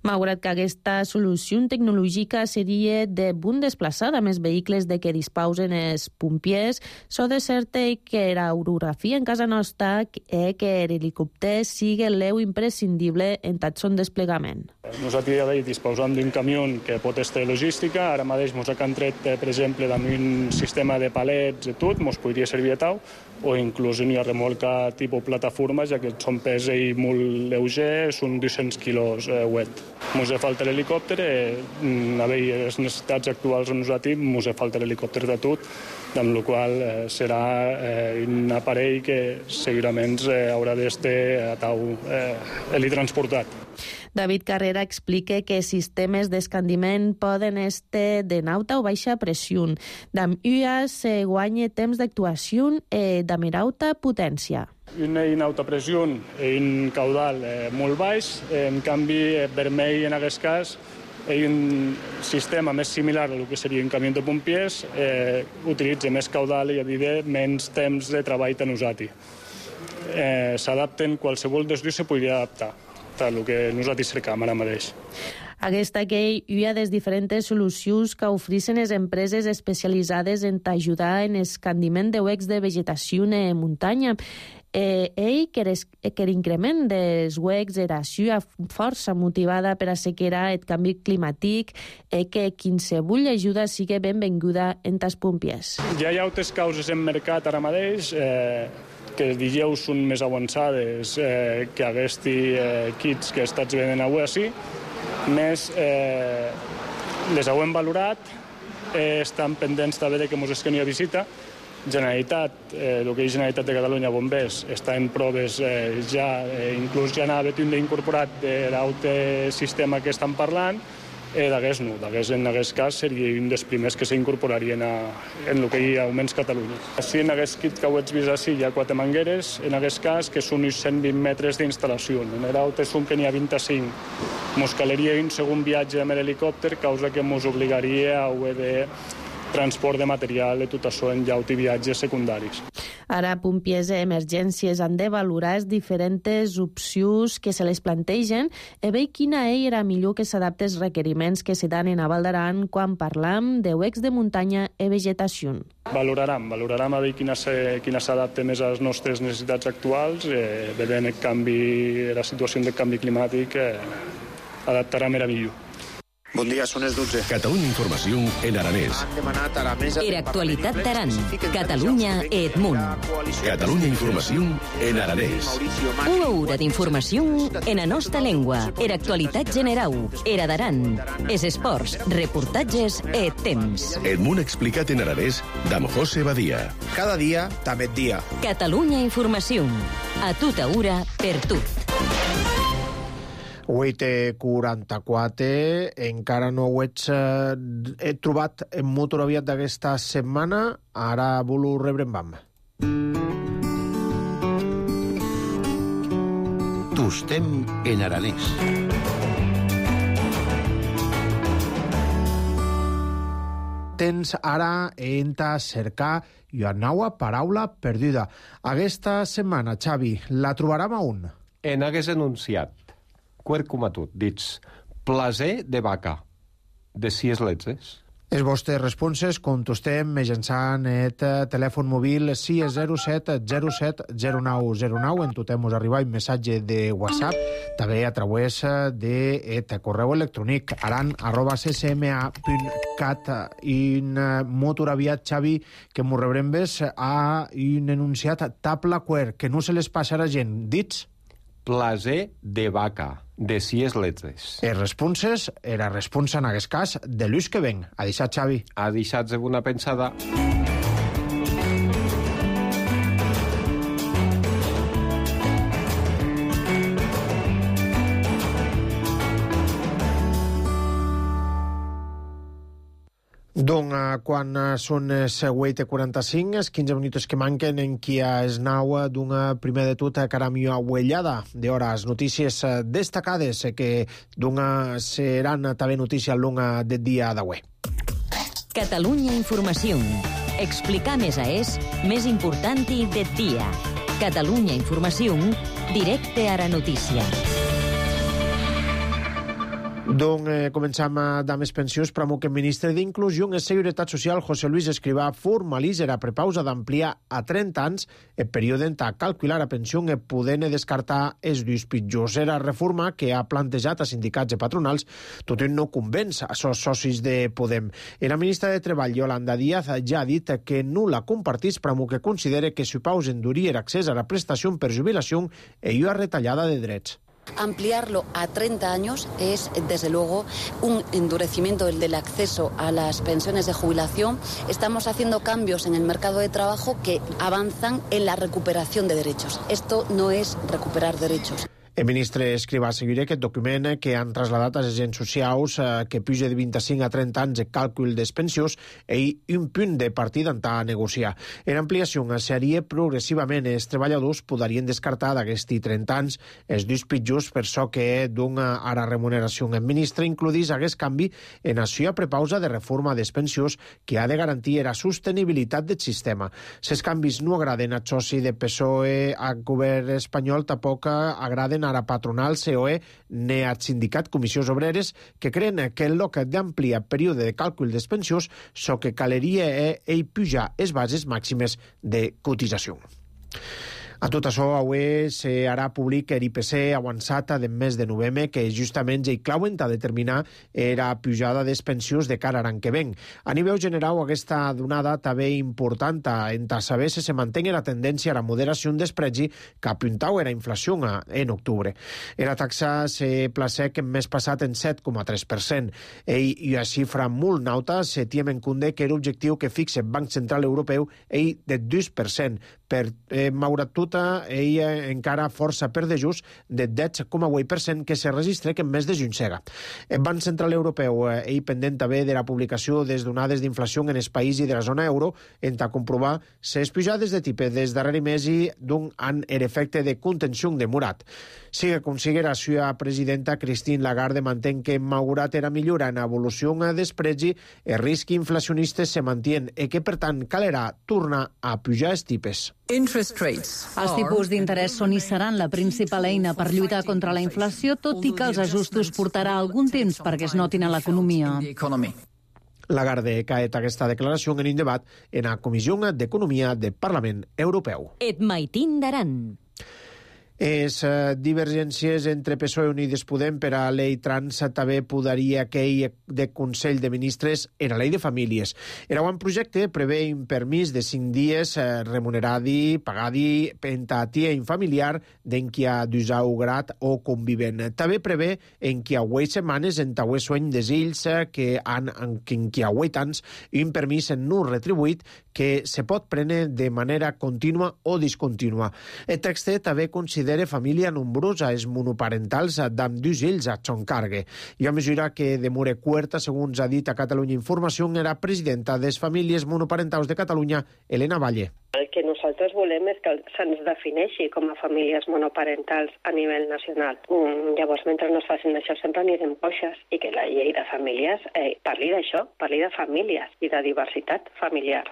Malgrat que aquesta solució tecnològica seria de bon desplaçar amb els vehicles de què disposen els pompiers, so de cert que l'aerografia en casa nostra que l'helicòpter sigui l'eu imprescindible en tot son desplegament. Nosaltres ja disposam d'un camió que pot estar logística, ara mateix ens han tret, per exemple, amb un sistema de palets i tot, ens podria servir a tau, o inclús una remolca tipus plataforma, ja que són pes molt lleuger, són 200 quilos wet. Ens falta l'helicòpter, a veure les necessitats actuals on nosaltres, ens falta l'helicòpter de tot, amb la qual serà un aparell que segurament haurà d'estar a tau helitransportat. David Carrera explica que sistemes d'escandiment poden estar de alta o baixa pressió. D'amb UIA se guanya temps d'actuació de més alta potència. Una en alta pressió i un caudal molt baix, en canvi vermell en aquest cas hi ha un sistema més similar a el que seria un camió de pompiers, utilitza més caudal i menys temps de treball a nosaltres. S'adapten, qualsevol dels dos se podria adaptar el que nosaltres cercam ara mateix. Aquesta que hi ha des diferents solucions que ofereixen les empreses especialitzades en ajudar en l'escandiment de huecs de vegetació en muntanya. Que l'increment dels huecs era força motivada per assegurar el canvi climàtic que qualsevol ajuda sigui benvinguda en els pompiers. Ja hi ha altres causes en mercat ara mateix que els dijous són més avançades que aquests kits que estats venent avui així, més les hem valorat, estan pendents també de que ens esqueni a visita. Generalitat, el que és Generalitat de Catalunya Bombers, està en proves ja, inclús ja n'ha d'incorporat de l'altre sistema que estan parlant, d'aquest no, en aquest cas seria un dels primers que s'incorporarien en el que hi ha Augments Catalunya. Així, en aquest kit que ho ets vist així, hi ha 4 mangueres, en aquest cas, que són uns 120 metres d'instal·lació. En l'altre són que n'hi ha 25. Ens caleria un segon viatge amb l'helicòpter, causa que ens obligaria a haver de transport de material i tot això en llaut i viatges secundaris. Ara, pompiers i emergències han de valorar les diferents opcions que se les plantegen i veure quina era millor que s'adapta als requeriments que se dan en a Val d'Aran quan parlam de huecs de muntanya i vegetació. Valorarem a veure quina s'adapta més a les nostres necessitats actuals, veient la situació del canvi climàtic, adaptarà més millor. Bon dia, són les 12. Catalunya Informació en aranès. Han demanat a la mesa... Era actualitat d'Aran, Catalunya e Edmunt. Catalunya Informació en aranès. Una hora d'informació en la nostra llengua. Era actualitat general. Era d'Aran. Es esports, reportatges e temps. Edmunt explicat en aranès d'amb José Badia. Cada dia, també dia. Catalunya Informació. A tota hora, per tot. 8:44, encara no ho he trobat en motor aviat d'aquesta setmana, ara volo rebre en vam. Tostem en aranès. Tens ara enta cercar una nova paraula perduda. Aquesta setmana, Xavi, la trobarem a on? En hagués enunciat quercumatut, dits plaser de vaca, de 6 letzes. Els vostres responses contestem mitjançant el telèfon mòbil 607 07 0909. En totem us arriba un missatge de WhatsApp, també a través de correu electrònic aran@ccma.cat. I molt aviat, Xavi, que m'ho rebrem a un enunciat tabla quer, que no se les passa a la gent. Dits? Plaser de vaca, de 6 letres. Les responses era responsa en aquest cas de l'ús que ven. Ha deixat, Xavi. Ha deixat una pensada. Donc, quan són les 8:45, els 15 minuts que manquen en qui es nau d'una primer de tot caramio ahuellada d'hores notícies destacades que seran també notícies al long del dia d'avui. Catalunya Informació. Explicar més més important del dia. Catalunya Informació, directe a la notícia. Començam amb les pensions, però que el ministre d'Inclusió i Seguretat Social, José Luis Escrivá, formalitza la prepausa d'ampliar a 30 anys el període en què calcular la pensió i poder descartar els dos pitjors. Era reforma que ha plantejat a sindicats i patronals, tot i no convenç a els socis de Podem. La ministra de Treball, Yolanda Díaz, ja ha dit que no la compartís, però que considera que si pausa endurir l'accés a la prestació per jubilació i una retallada de drets. Ampliarlo a 30 años es, desde luego, un endurecimiento del acceso a las pensiones de jubilación. Estamos haciendo cambios en el mercado de trabajo que avanzan en la recuperación de derechos. Esto no es recuperar derechos. El ministre Escrivá seguirà aquest document que han traslladat als agents socials que puja de 25 a 30 anys el càlcul dels pensions i un punt de partida a negociar. L'ampliació seria progressivament. Els treballadors podrien descartar d'aquests 30 anys els dos pitjors per so que dona a la remuneració. El ministre includís aquest canvi en la seva prepausa de reforma dels pensions que ha de garantir la sostenibilitat del sistema. Si els canvis no agraden al soci de PSOE al govern espanyol, tampoc agraden a la patronal COE ni al sindicat Comissions Obreres, que creen que en lloc d'ampliar període de càlcul dels pensions, so que caleria pujar les bases màximes de cotització. A tot això, avui serà públic l'IPC avançat del mes de novembre, que justament ja hi clauen a determinar la pujada dels pensions de cara a l'any que ven. A nivell general, aquesta donada també important en saber si se manté la tendència a la moderació dels preus que apuntava la inflació en octubre. La taxa se placec en mes passat en 7,3%. I una xifra molt alta se tiem en compte que l'objectiu que fixa el Banc Central Europeu és de 2%. Per malgrat tot, ella encara força per de just de 10,8% que se registra que en mes de juny sega. El Banc Central Europeu pendent també de la publicació des donades d'inflació en els països de la zona euro en comprovar les pujades de tipus des darrer mes i han l'efecte de contenció demorat. Siga com sigui, la seva presidenta Christine Lagarde mantén que malgrat la millora en l'evolució dels preus, el risc inflacionista se manté i que, per tant, calerà tornar a pujar els tipus. Els tipus d'interès són i seran la principal eina per lluitar contra la inflació, tot i que els ajustos portarà algun temps perquè es notin a l'economia. Lagarde caet aquesta declaració en un debat en la Comissió d'Economia del Parlament Europeu. Et maitin d'Aran. Les divergències entre PSOE i Unides Podem per a llei trans també podria aquell de Consell de Ministres en la llei de famílies. El projecte prevé un permís de 5 dies remuneradi, pagadi, pentatia infamiliar d'en qui ha d'usar o convivent. També prevé en qui ha 8 setmanes en tauer sueny des ills que han en qui ha 8 anys un permís no retribuït que se pot prendre de manera contínua o discontínua. El text també considera família nombrosa els monoparentals d'amb dos ills a son cargue. I a mesura que demora quarta, segons ha dit a Catalunya Informació, era presidenta de les famílies monoparentals de Catalunya, Elena Valle. El que nosaltres volem és que se'ns defineixi com a famílies monoparentals a nivell nacional. Llavors, mentre no es facin això, sempre anirem coixes i que la llei de famílies parli d'això, parli de famílies i de diversitat familiar.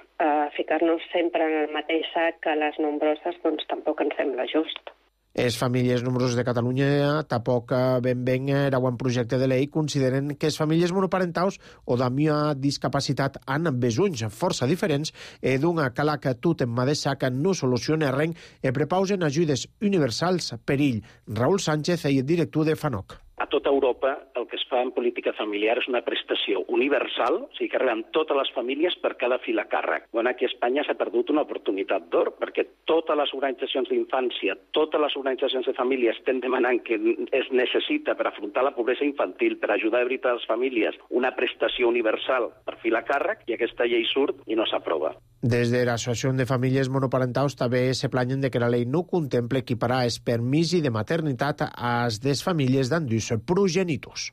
Ficar-nos sempre en el mateix sac que les nombroses, doncs tampoc ens sembla just. Les famílies nombroses de Catalunya tampoc ben era un projecte de llei consideren que les famílies monoparentals o d'ami discapacitat han besunys força diferents e d'una cala que tot en mà de sac no soluciona res e prepausen ajudes universals per ell. Raül Sánchez, el director de FANOC. A tota Europa el que es fa en política familiar és una prestació universal, o sigui que arriben totes les famílies per cada fill a càrrec. Bueno, aquí a Espanya s'ha perdut una oportunitat d'or, perquè totes les organitzacions d'infància, totes les organitzacions de famílies estan demanant que es necessita per afrontar la pobresa infantil, per ajudar de veritat a les famílies, una prestació universal per fill a càrrec, i aquesta llei surt i no s'aprova. Des de l'Associació de Famílies Monoparentals també se planyen de que la llei no contemple equiparar el permís de maternitat a les famílies d'endús progenitors.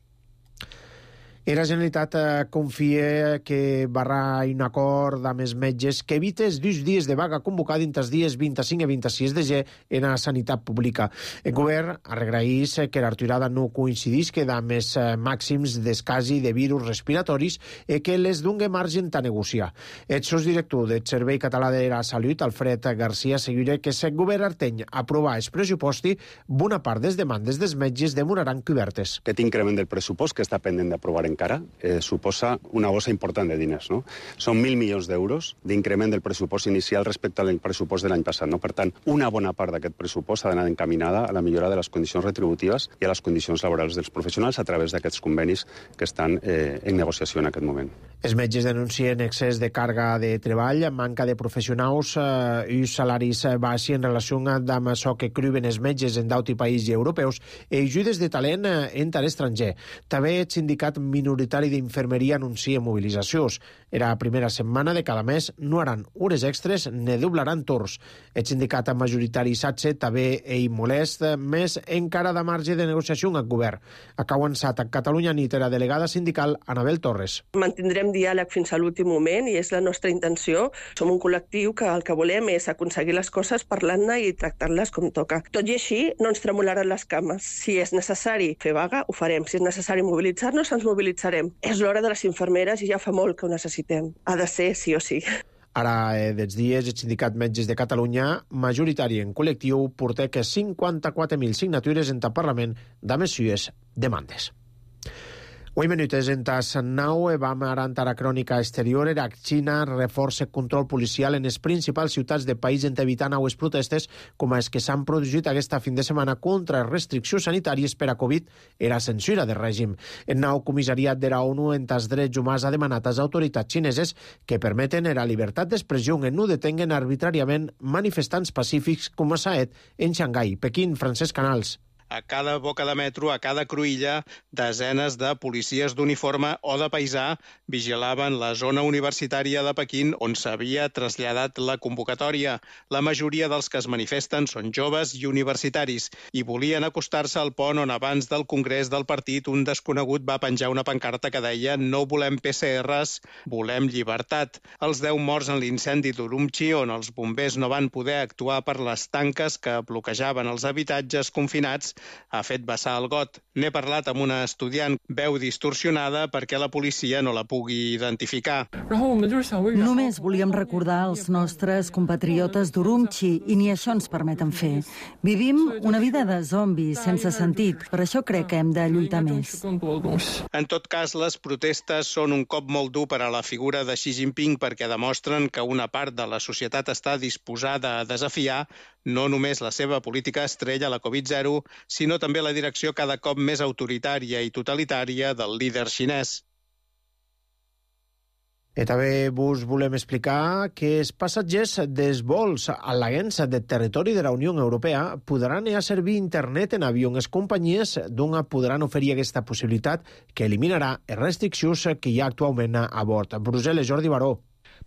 La Generalitat confia que barrà un acord amb els metges que evite els 2 dies de vaga convocada entre els dies 25 i 26 de gener en la sanitat pública. El govern agraeix que la retirada no coincidisca amb els màxims d'escasi de virus respiratoris i que les doni marge a negociar. El sosdirector del Servei Català de la Salut, Alfred Garcia, assegura que si el govern arteny aprovar el pressuposti, bona part de les demandes dels metges demoraran cobertes. Aquest increment del pressupost que està pendent d'aprovar encara suposa una bossa important de diners. No? Són 1.000 milions d'euros d'increment del pressupost inicial respecte al pressupost de l'any passat. No? Per tant, una bona part d'aquest pressupost ha d'anar encaminada a la millora de les condicions retributives i a les condicions laborals dels professionals a través d'aquests convenis que estan en negociació en aquest moment. Els metges denuncien excés de càrrega de treball, manca de professionals i salaris baixos en relació amb això que criuen els metges en d'altres països europeus i ajudes de talent entre l'estranger. També el sindicat minoritari d'infermeria anuncia mobilitzacions. Era la primera setmana de cada mes, no haran hores extres ni doblaran torns. El sindicat majoritari SATSE també molest, més encara de marge de negociació amb el govern. Ha avançat a Catalunya Nit la delegada sindical Anabel Torres. Mantindrem diàleg fins a l'últim moment i és la nostra intenció. Som un col·lectiu que el que volem és aconseguir les coses parlant-ne i tractant-les com toca. Tot i així, no ens tremolaran les cames. Si és necessari fer vaga, ho farem. Si és necessari mobilitzar-nos, ens mobilitzarem. És l'hora de les infermeres i ja fa molt que ho necessitem. Ha de ser sí o sí. Ara, dels dies, el Sindicat Metges de Catalunya, majoritari en col·lectiu, porta que 54.000 signatures en el Parlament de les seues demandes. 8 minuts en tas 9, vam ara a la crònica exterior. La Xina reforça control policial en les principals ciutats del país en evitar noves protestes com les que s'han produït aquesta fin de setmana contra restriccions sanitàries per a Covid i la censura del règim. El nou comissariat de la ONU en els drets humans ha demanat a les autoritats xineses que permeten la llibertat d'expressió i no detenguen arbitràriament manifestants pacífics com s'ha fet en Xangai. Pequín, Francesc Canals. A cada boca de metro, a cada cruïlla, desenes de policies d'uniforme o de paisà vigilaven la zona universitària de Pequín on s'havia traslladat la convocatòria. La majoria dels que es manifesten són joves i universitaris i volien acostar-se al pont on abans del congrés del partit un desconegut va penjar una pancarta que deia «No volem PCRs, volem llibertat». Els 10 morts en l'incendi d'Urumqi, on els bombers no van poder actuar per les tanques que bloquejaven els habitatges confinats, ha fet vessar el got. N'he parlat amb una estudiant, veu distorsionada perquè la policia no la pugui identificar. Només volíem recordar els nostres compatriotes d'Urumqi i ni això ens permeten fer. Vivim una vida de zombis sense sentit, per això crec que hem de lluitar més. En tot cas, les protestes són un cop molt dur per a la figura de Xi Jinping perquè demostren que una part de la societat està disposada a desafiar no només la seva política estrella, la Covid-0, sinó també la direcció cada cop més autoritària i totalitària del líder xinès. I també vos volem explicar que els passatgers dels vols al·leguents del territori de la Unió Europea podran anar a servir internet en avió. Les companyies podran oferir aquesta possibilitat que eliminarà les restriccions que hi ha actualment a bord. Brussel·les, Jordi Baró.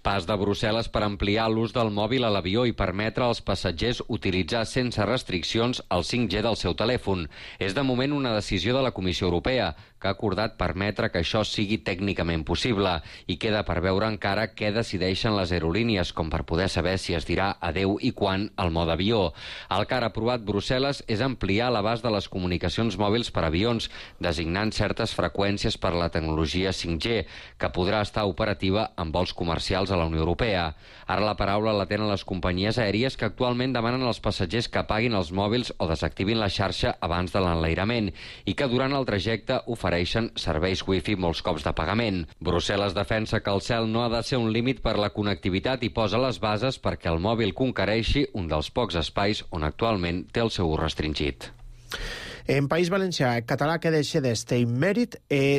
Pas de Brussel·les per ampliar l'ús del mòbil a l'avió i permetre als passatgers utilitzar sense restriccions el 5G del seu telèfon. És de moment una decisió de la Comissió Europea, que ha acordat permetre que això sigui tècnicament possible i queda per veure encara què decideixen les aerolínies, com per poder saber si es dirà adeu i quan al mode avió. El que ha aprovat Brussel·les és ampliar l'abast de les comunicacions mòbils per avions, designant certes freqüències per la tecnologia 5G, que podrà estar operativa en vols comercials mundials a la Unió Europea. Ara la paraula la tenen les companyies aèries que actualment demanen als passatgers que apaguin els mòbils o desactivin la xarxa abans de l'enlairament i que durant el trajecte ofereixen serveis wifi molts cops de pagament. Brussel·les defensa que el cel no ha de ser un límit per la connectivitat i posa les bases perquè el mòbil conquereixi un dels pocs espais on actualment té el seu ús restringit. En País Valencià, el català que deixa d'este mèrit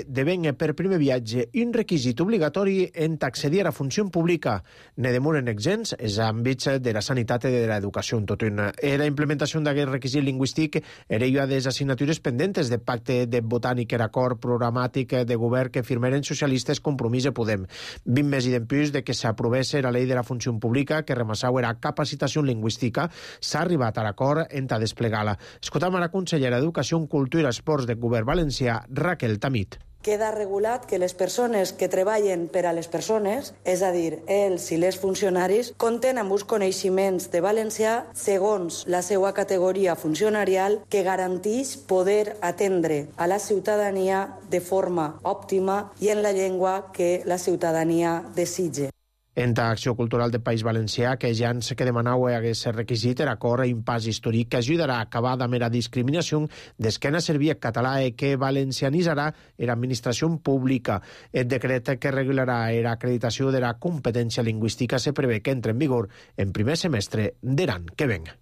devenga per primer viatge un requisit obligatori en accedir a la funció pública. Ne demoren exempts els àmbits de la sanitat i de l'educació en tot un. La implementació d'aquest requisit lingüístic era una de les assignatures pendentes del pacte de botànic, l'acord programàtic de govern que firmaren socialistes, Compromís i Podem. 20 mesos i d'empús de que s'aprovés la llei de la funció pública que remassau era capacitació lingüística, s'ha arribat a l'acord en ta desplegar-la. Escoltam a la consellera d'Educació, Cultura i Esports del Govern Valencià, Raquel Tamit. Queda regulat que les persones que treballen per a les persones, és a dir, els i les funcionaris, compten amb uns coneixements de valencià segons la seva categoria funcionarial que garanteix poder atendre a la ciutadania de forma òptima i en la llengua que la ciutadania desitge. En l'Acció Cultural del País Valencià, que ja ens que demanau hagués requisit era acord un pas històric que ajudarà a acabar amb la discriminació d'esquena servir el català i que valencianitzarà l'administració pública. El decret que regularà l'acreditació de la competència lingüística se prevé que entre en vigor en primer semestre d'Iran que venga.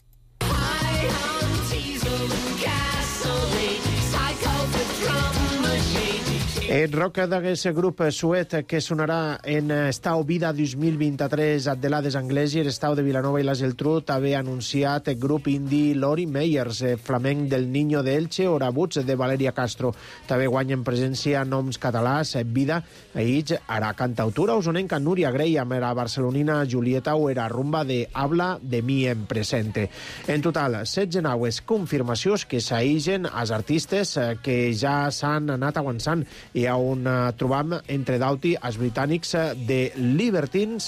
El rock d'aquest grup suet que sonarà en Estau Vida 2023 a Delades Anglès i l'Estau de Vilanova i la Geltrú també ha anunciat el grup indie Lori Meyers, flamenc del Niño de Elche o Rabuts de Valeria Castro. També guanyen presència noms catalans, Vida, Aïts, ara cantautora usonenca Núria Grey amb la barcelonina Julieta o era rumba de Habla de mi en presente. En total, 16 naues confirmacions que s'aïgen als artistes que ja s'han anat avançant i on trobam entre d'auti els britànics de Libertines,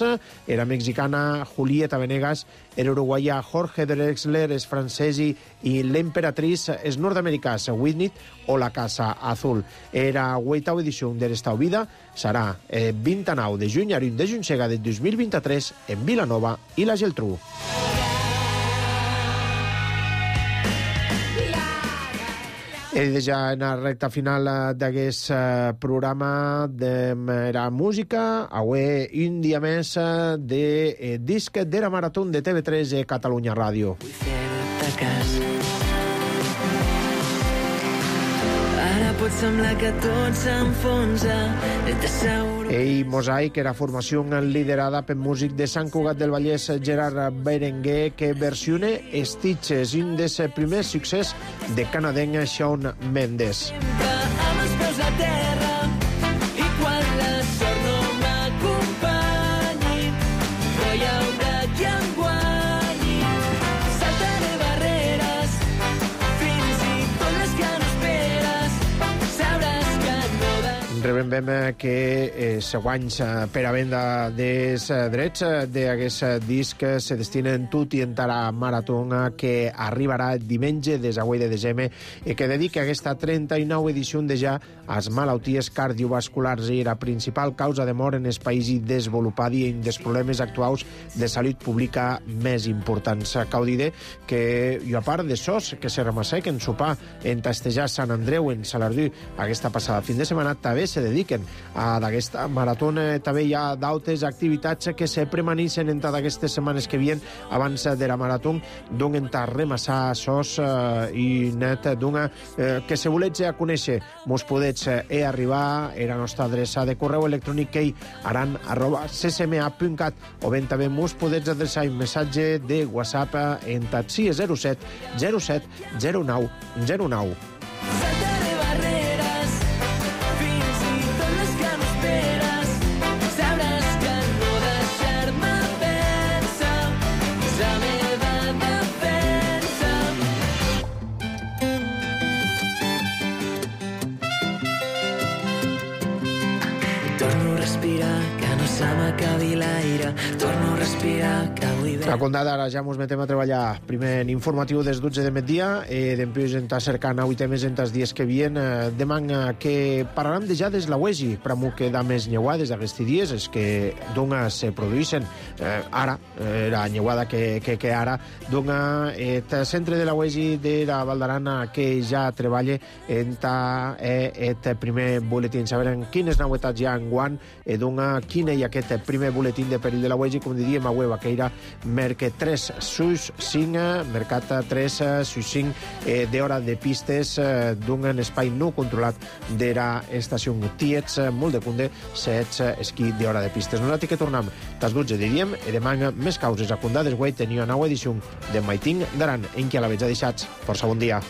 era mexicana Julieta Venegas, era uruguaià Jorge Drexler, és francesi i l'emperatriz és nord-americà Whitney o la Casa Azul. Era 8ª edició de l'Estau Vida, serà 29 de juny a 1 de juny de 2023 en Vilanova i la Geltrú. I ja en la recta final d'aquest programa de la música, avui un dia més de disc de la Marató de TV3 Catalunya Ràdio. Ara pot semblar que tot s'enfonsa. Mosaic era formació liderada per músic de Sant Cugat del Vallès, Gerard Berenguer, que versione Stitches, un dels primers succés de canadenc Shawn Mendes. Amb els peus a terra i quan la sort no m'acompanyi no hi haurà qui em guanyi. Saltaré barreres fins i tot les que no esperes. Sabràs que no rebem que següents per a venda dels drets d'aquest disc se destinen tot i en la marató que arribarà diumenge des de de desembre i que dedica aquesta 39 edició de ja a les malalties cardiovasculars i la principal causa de mort en els països desenvolupats i en els problemes actuals de salut pública més importants. Cal dir que i a part de sos que se remassec en sopar en Tastejar Sant Andreu en Salardú aquesta passada fin de setmana també se dediquen a d'aquesta marató. També hi ha d'altres activitats que se premanixen entre d'aquestes setmanes que vien abans de la marató, donen a remassar sos i net d'una que se volets a conèixer mos podets arribar a la nostra adreça de correu electrònic que ccma.cat o ben també mos podets adreçar un missatge de WhatsApp en taxi 07 07 09 09. se m'acabi l'aire, torno a respirar, que avui ve... A condada, ara ja ens metem a treballar. Primer en informatiu des 12 de migdia, dempués està cercant avui temes en els dies que vien. Demà que parlarem de ja des la UESI, pramo que da més nyeuades d'aquests dies, és que donga se produïssin ara, la nyeuada que ara, donga el centre de la UESI de la Val d'Aran que ja treballa en el primer boletín. Sabrem quines novetats hi ha en guant, donga quin hi ha aquest primer boletín de perill de la UESI, com diríem a web, que era Mercat 3 sus 5, Mercat 3 sus 5 d'hora de pistes d'un espai no controlat de la estació Tiets, molt de cunde, sets esquí d'hora de pistes. Nosaltres que tornem tas 12 diríem, i demà més causes a condades, guai, tenia una nova edició de Maiting d'Aran, en què a la veig deixats. Força bon dia.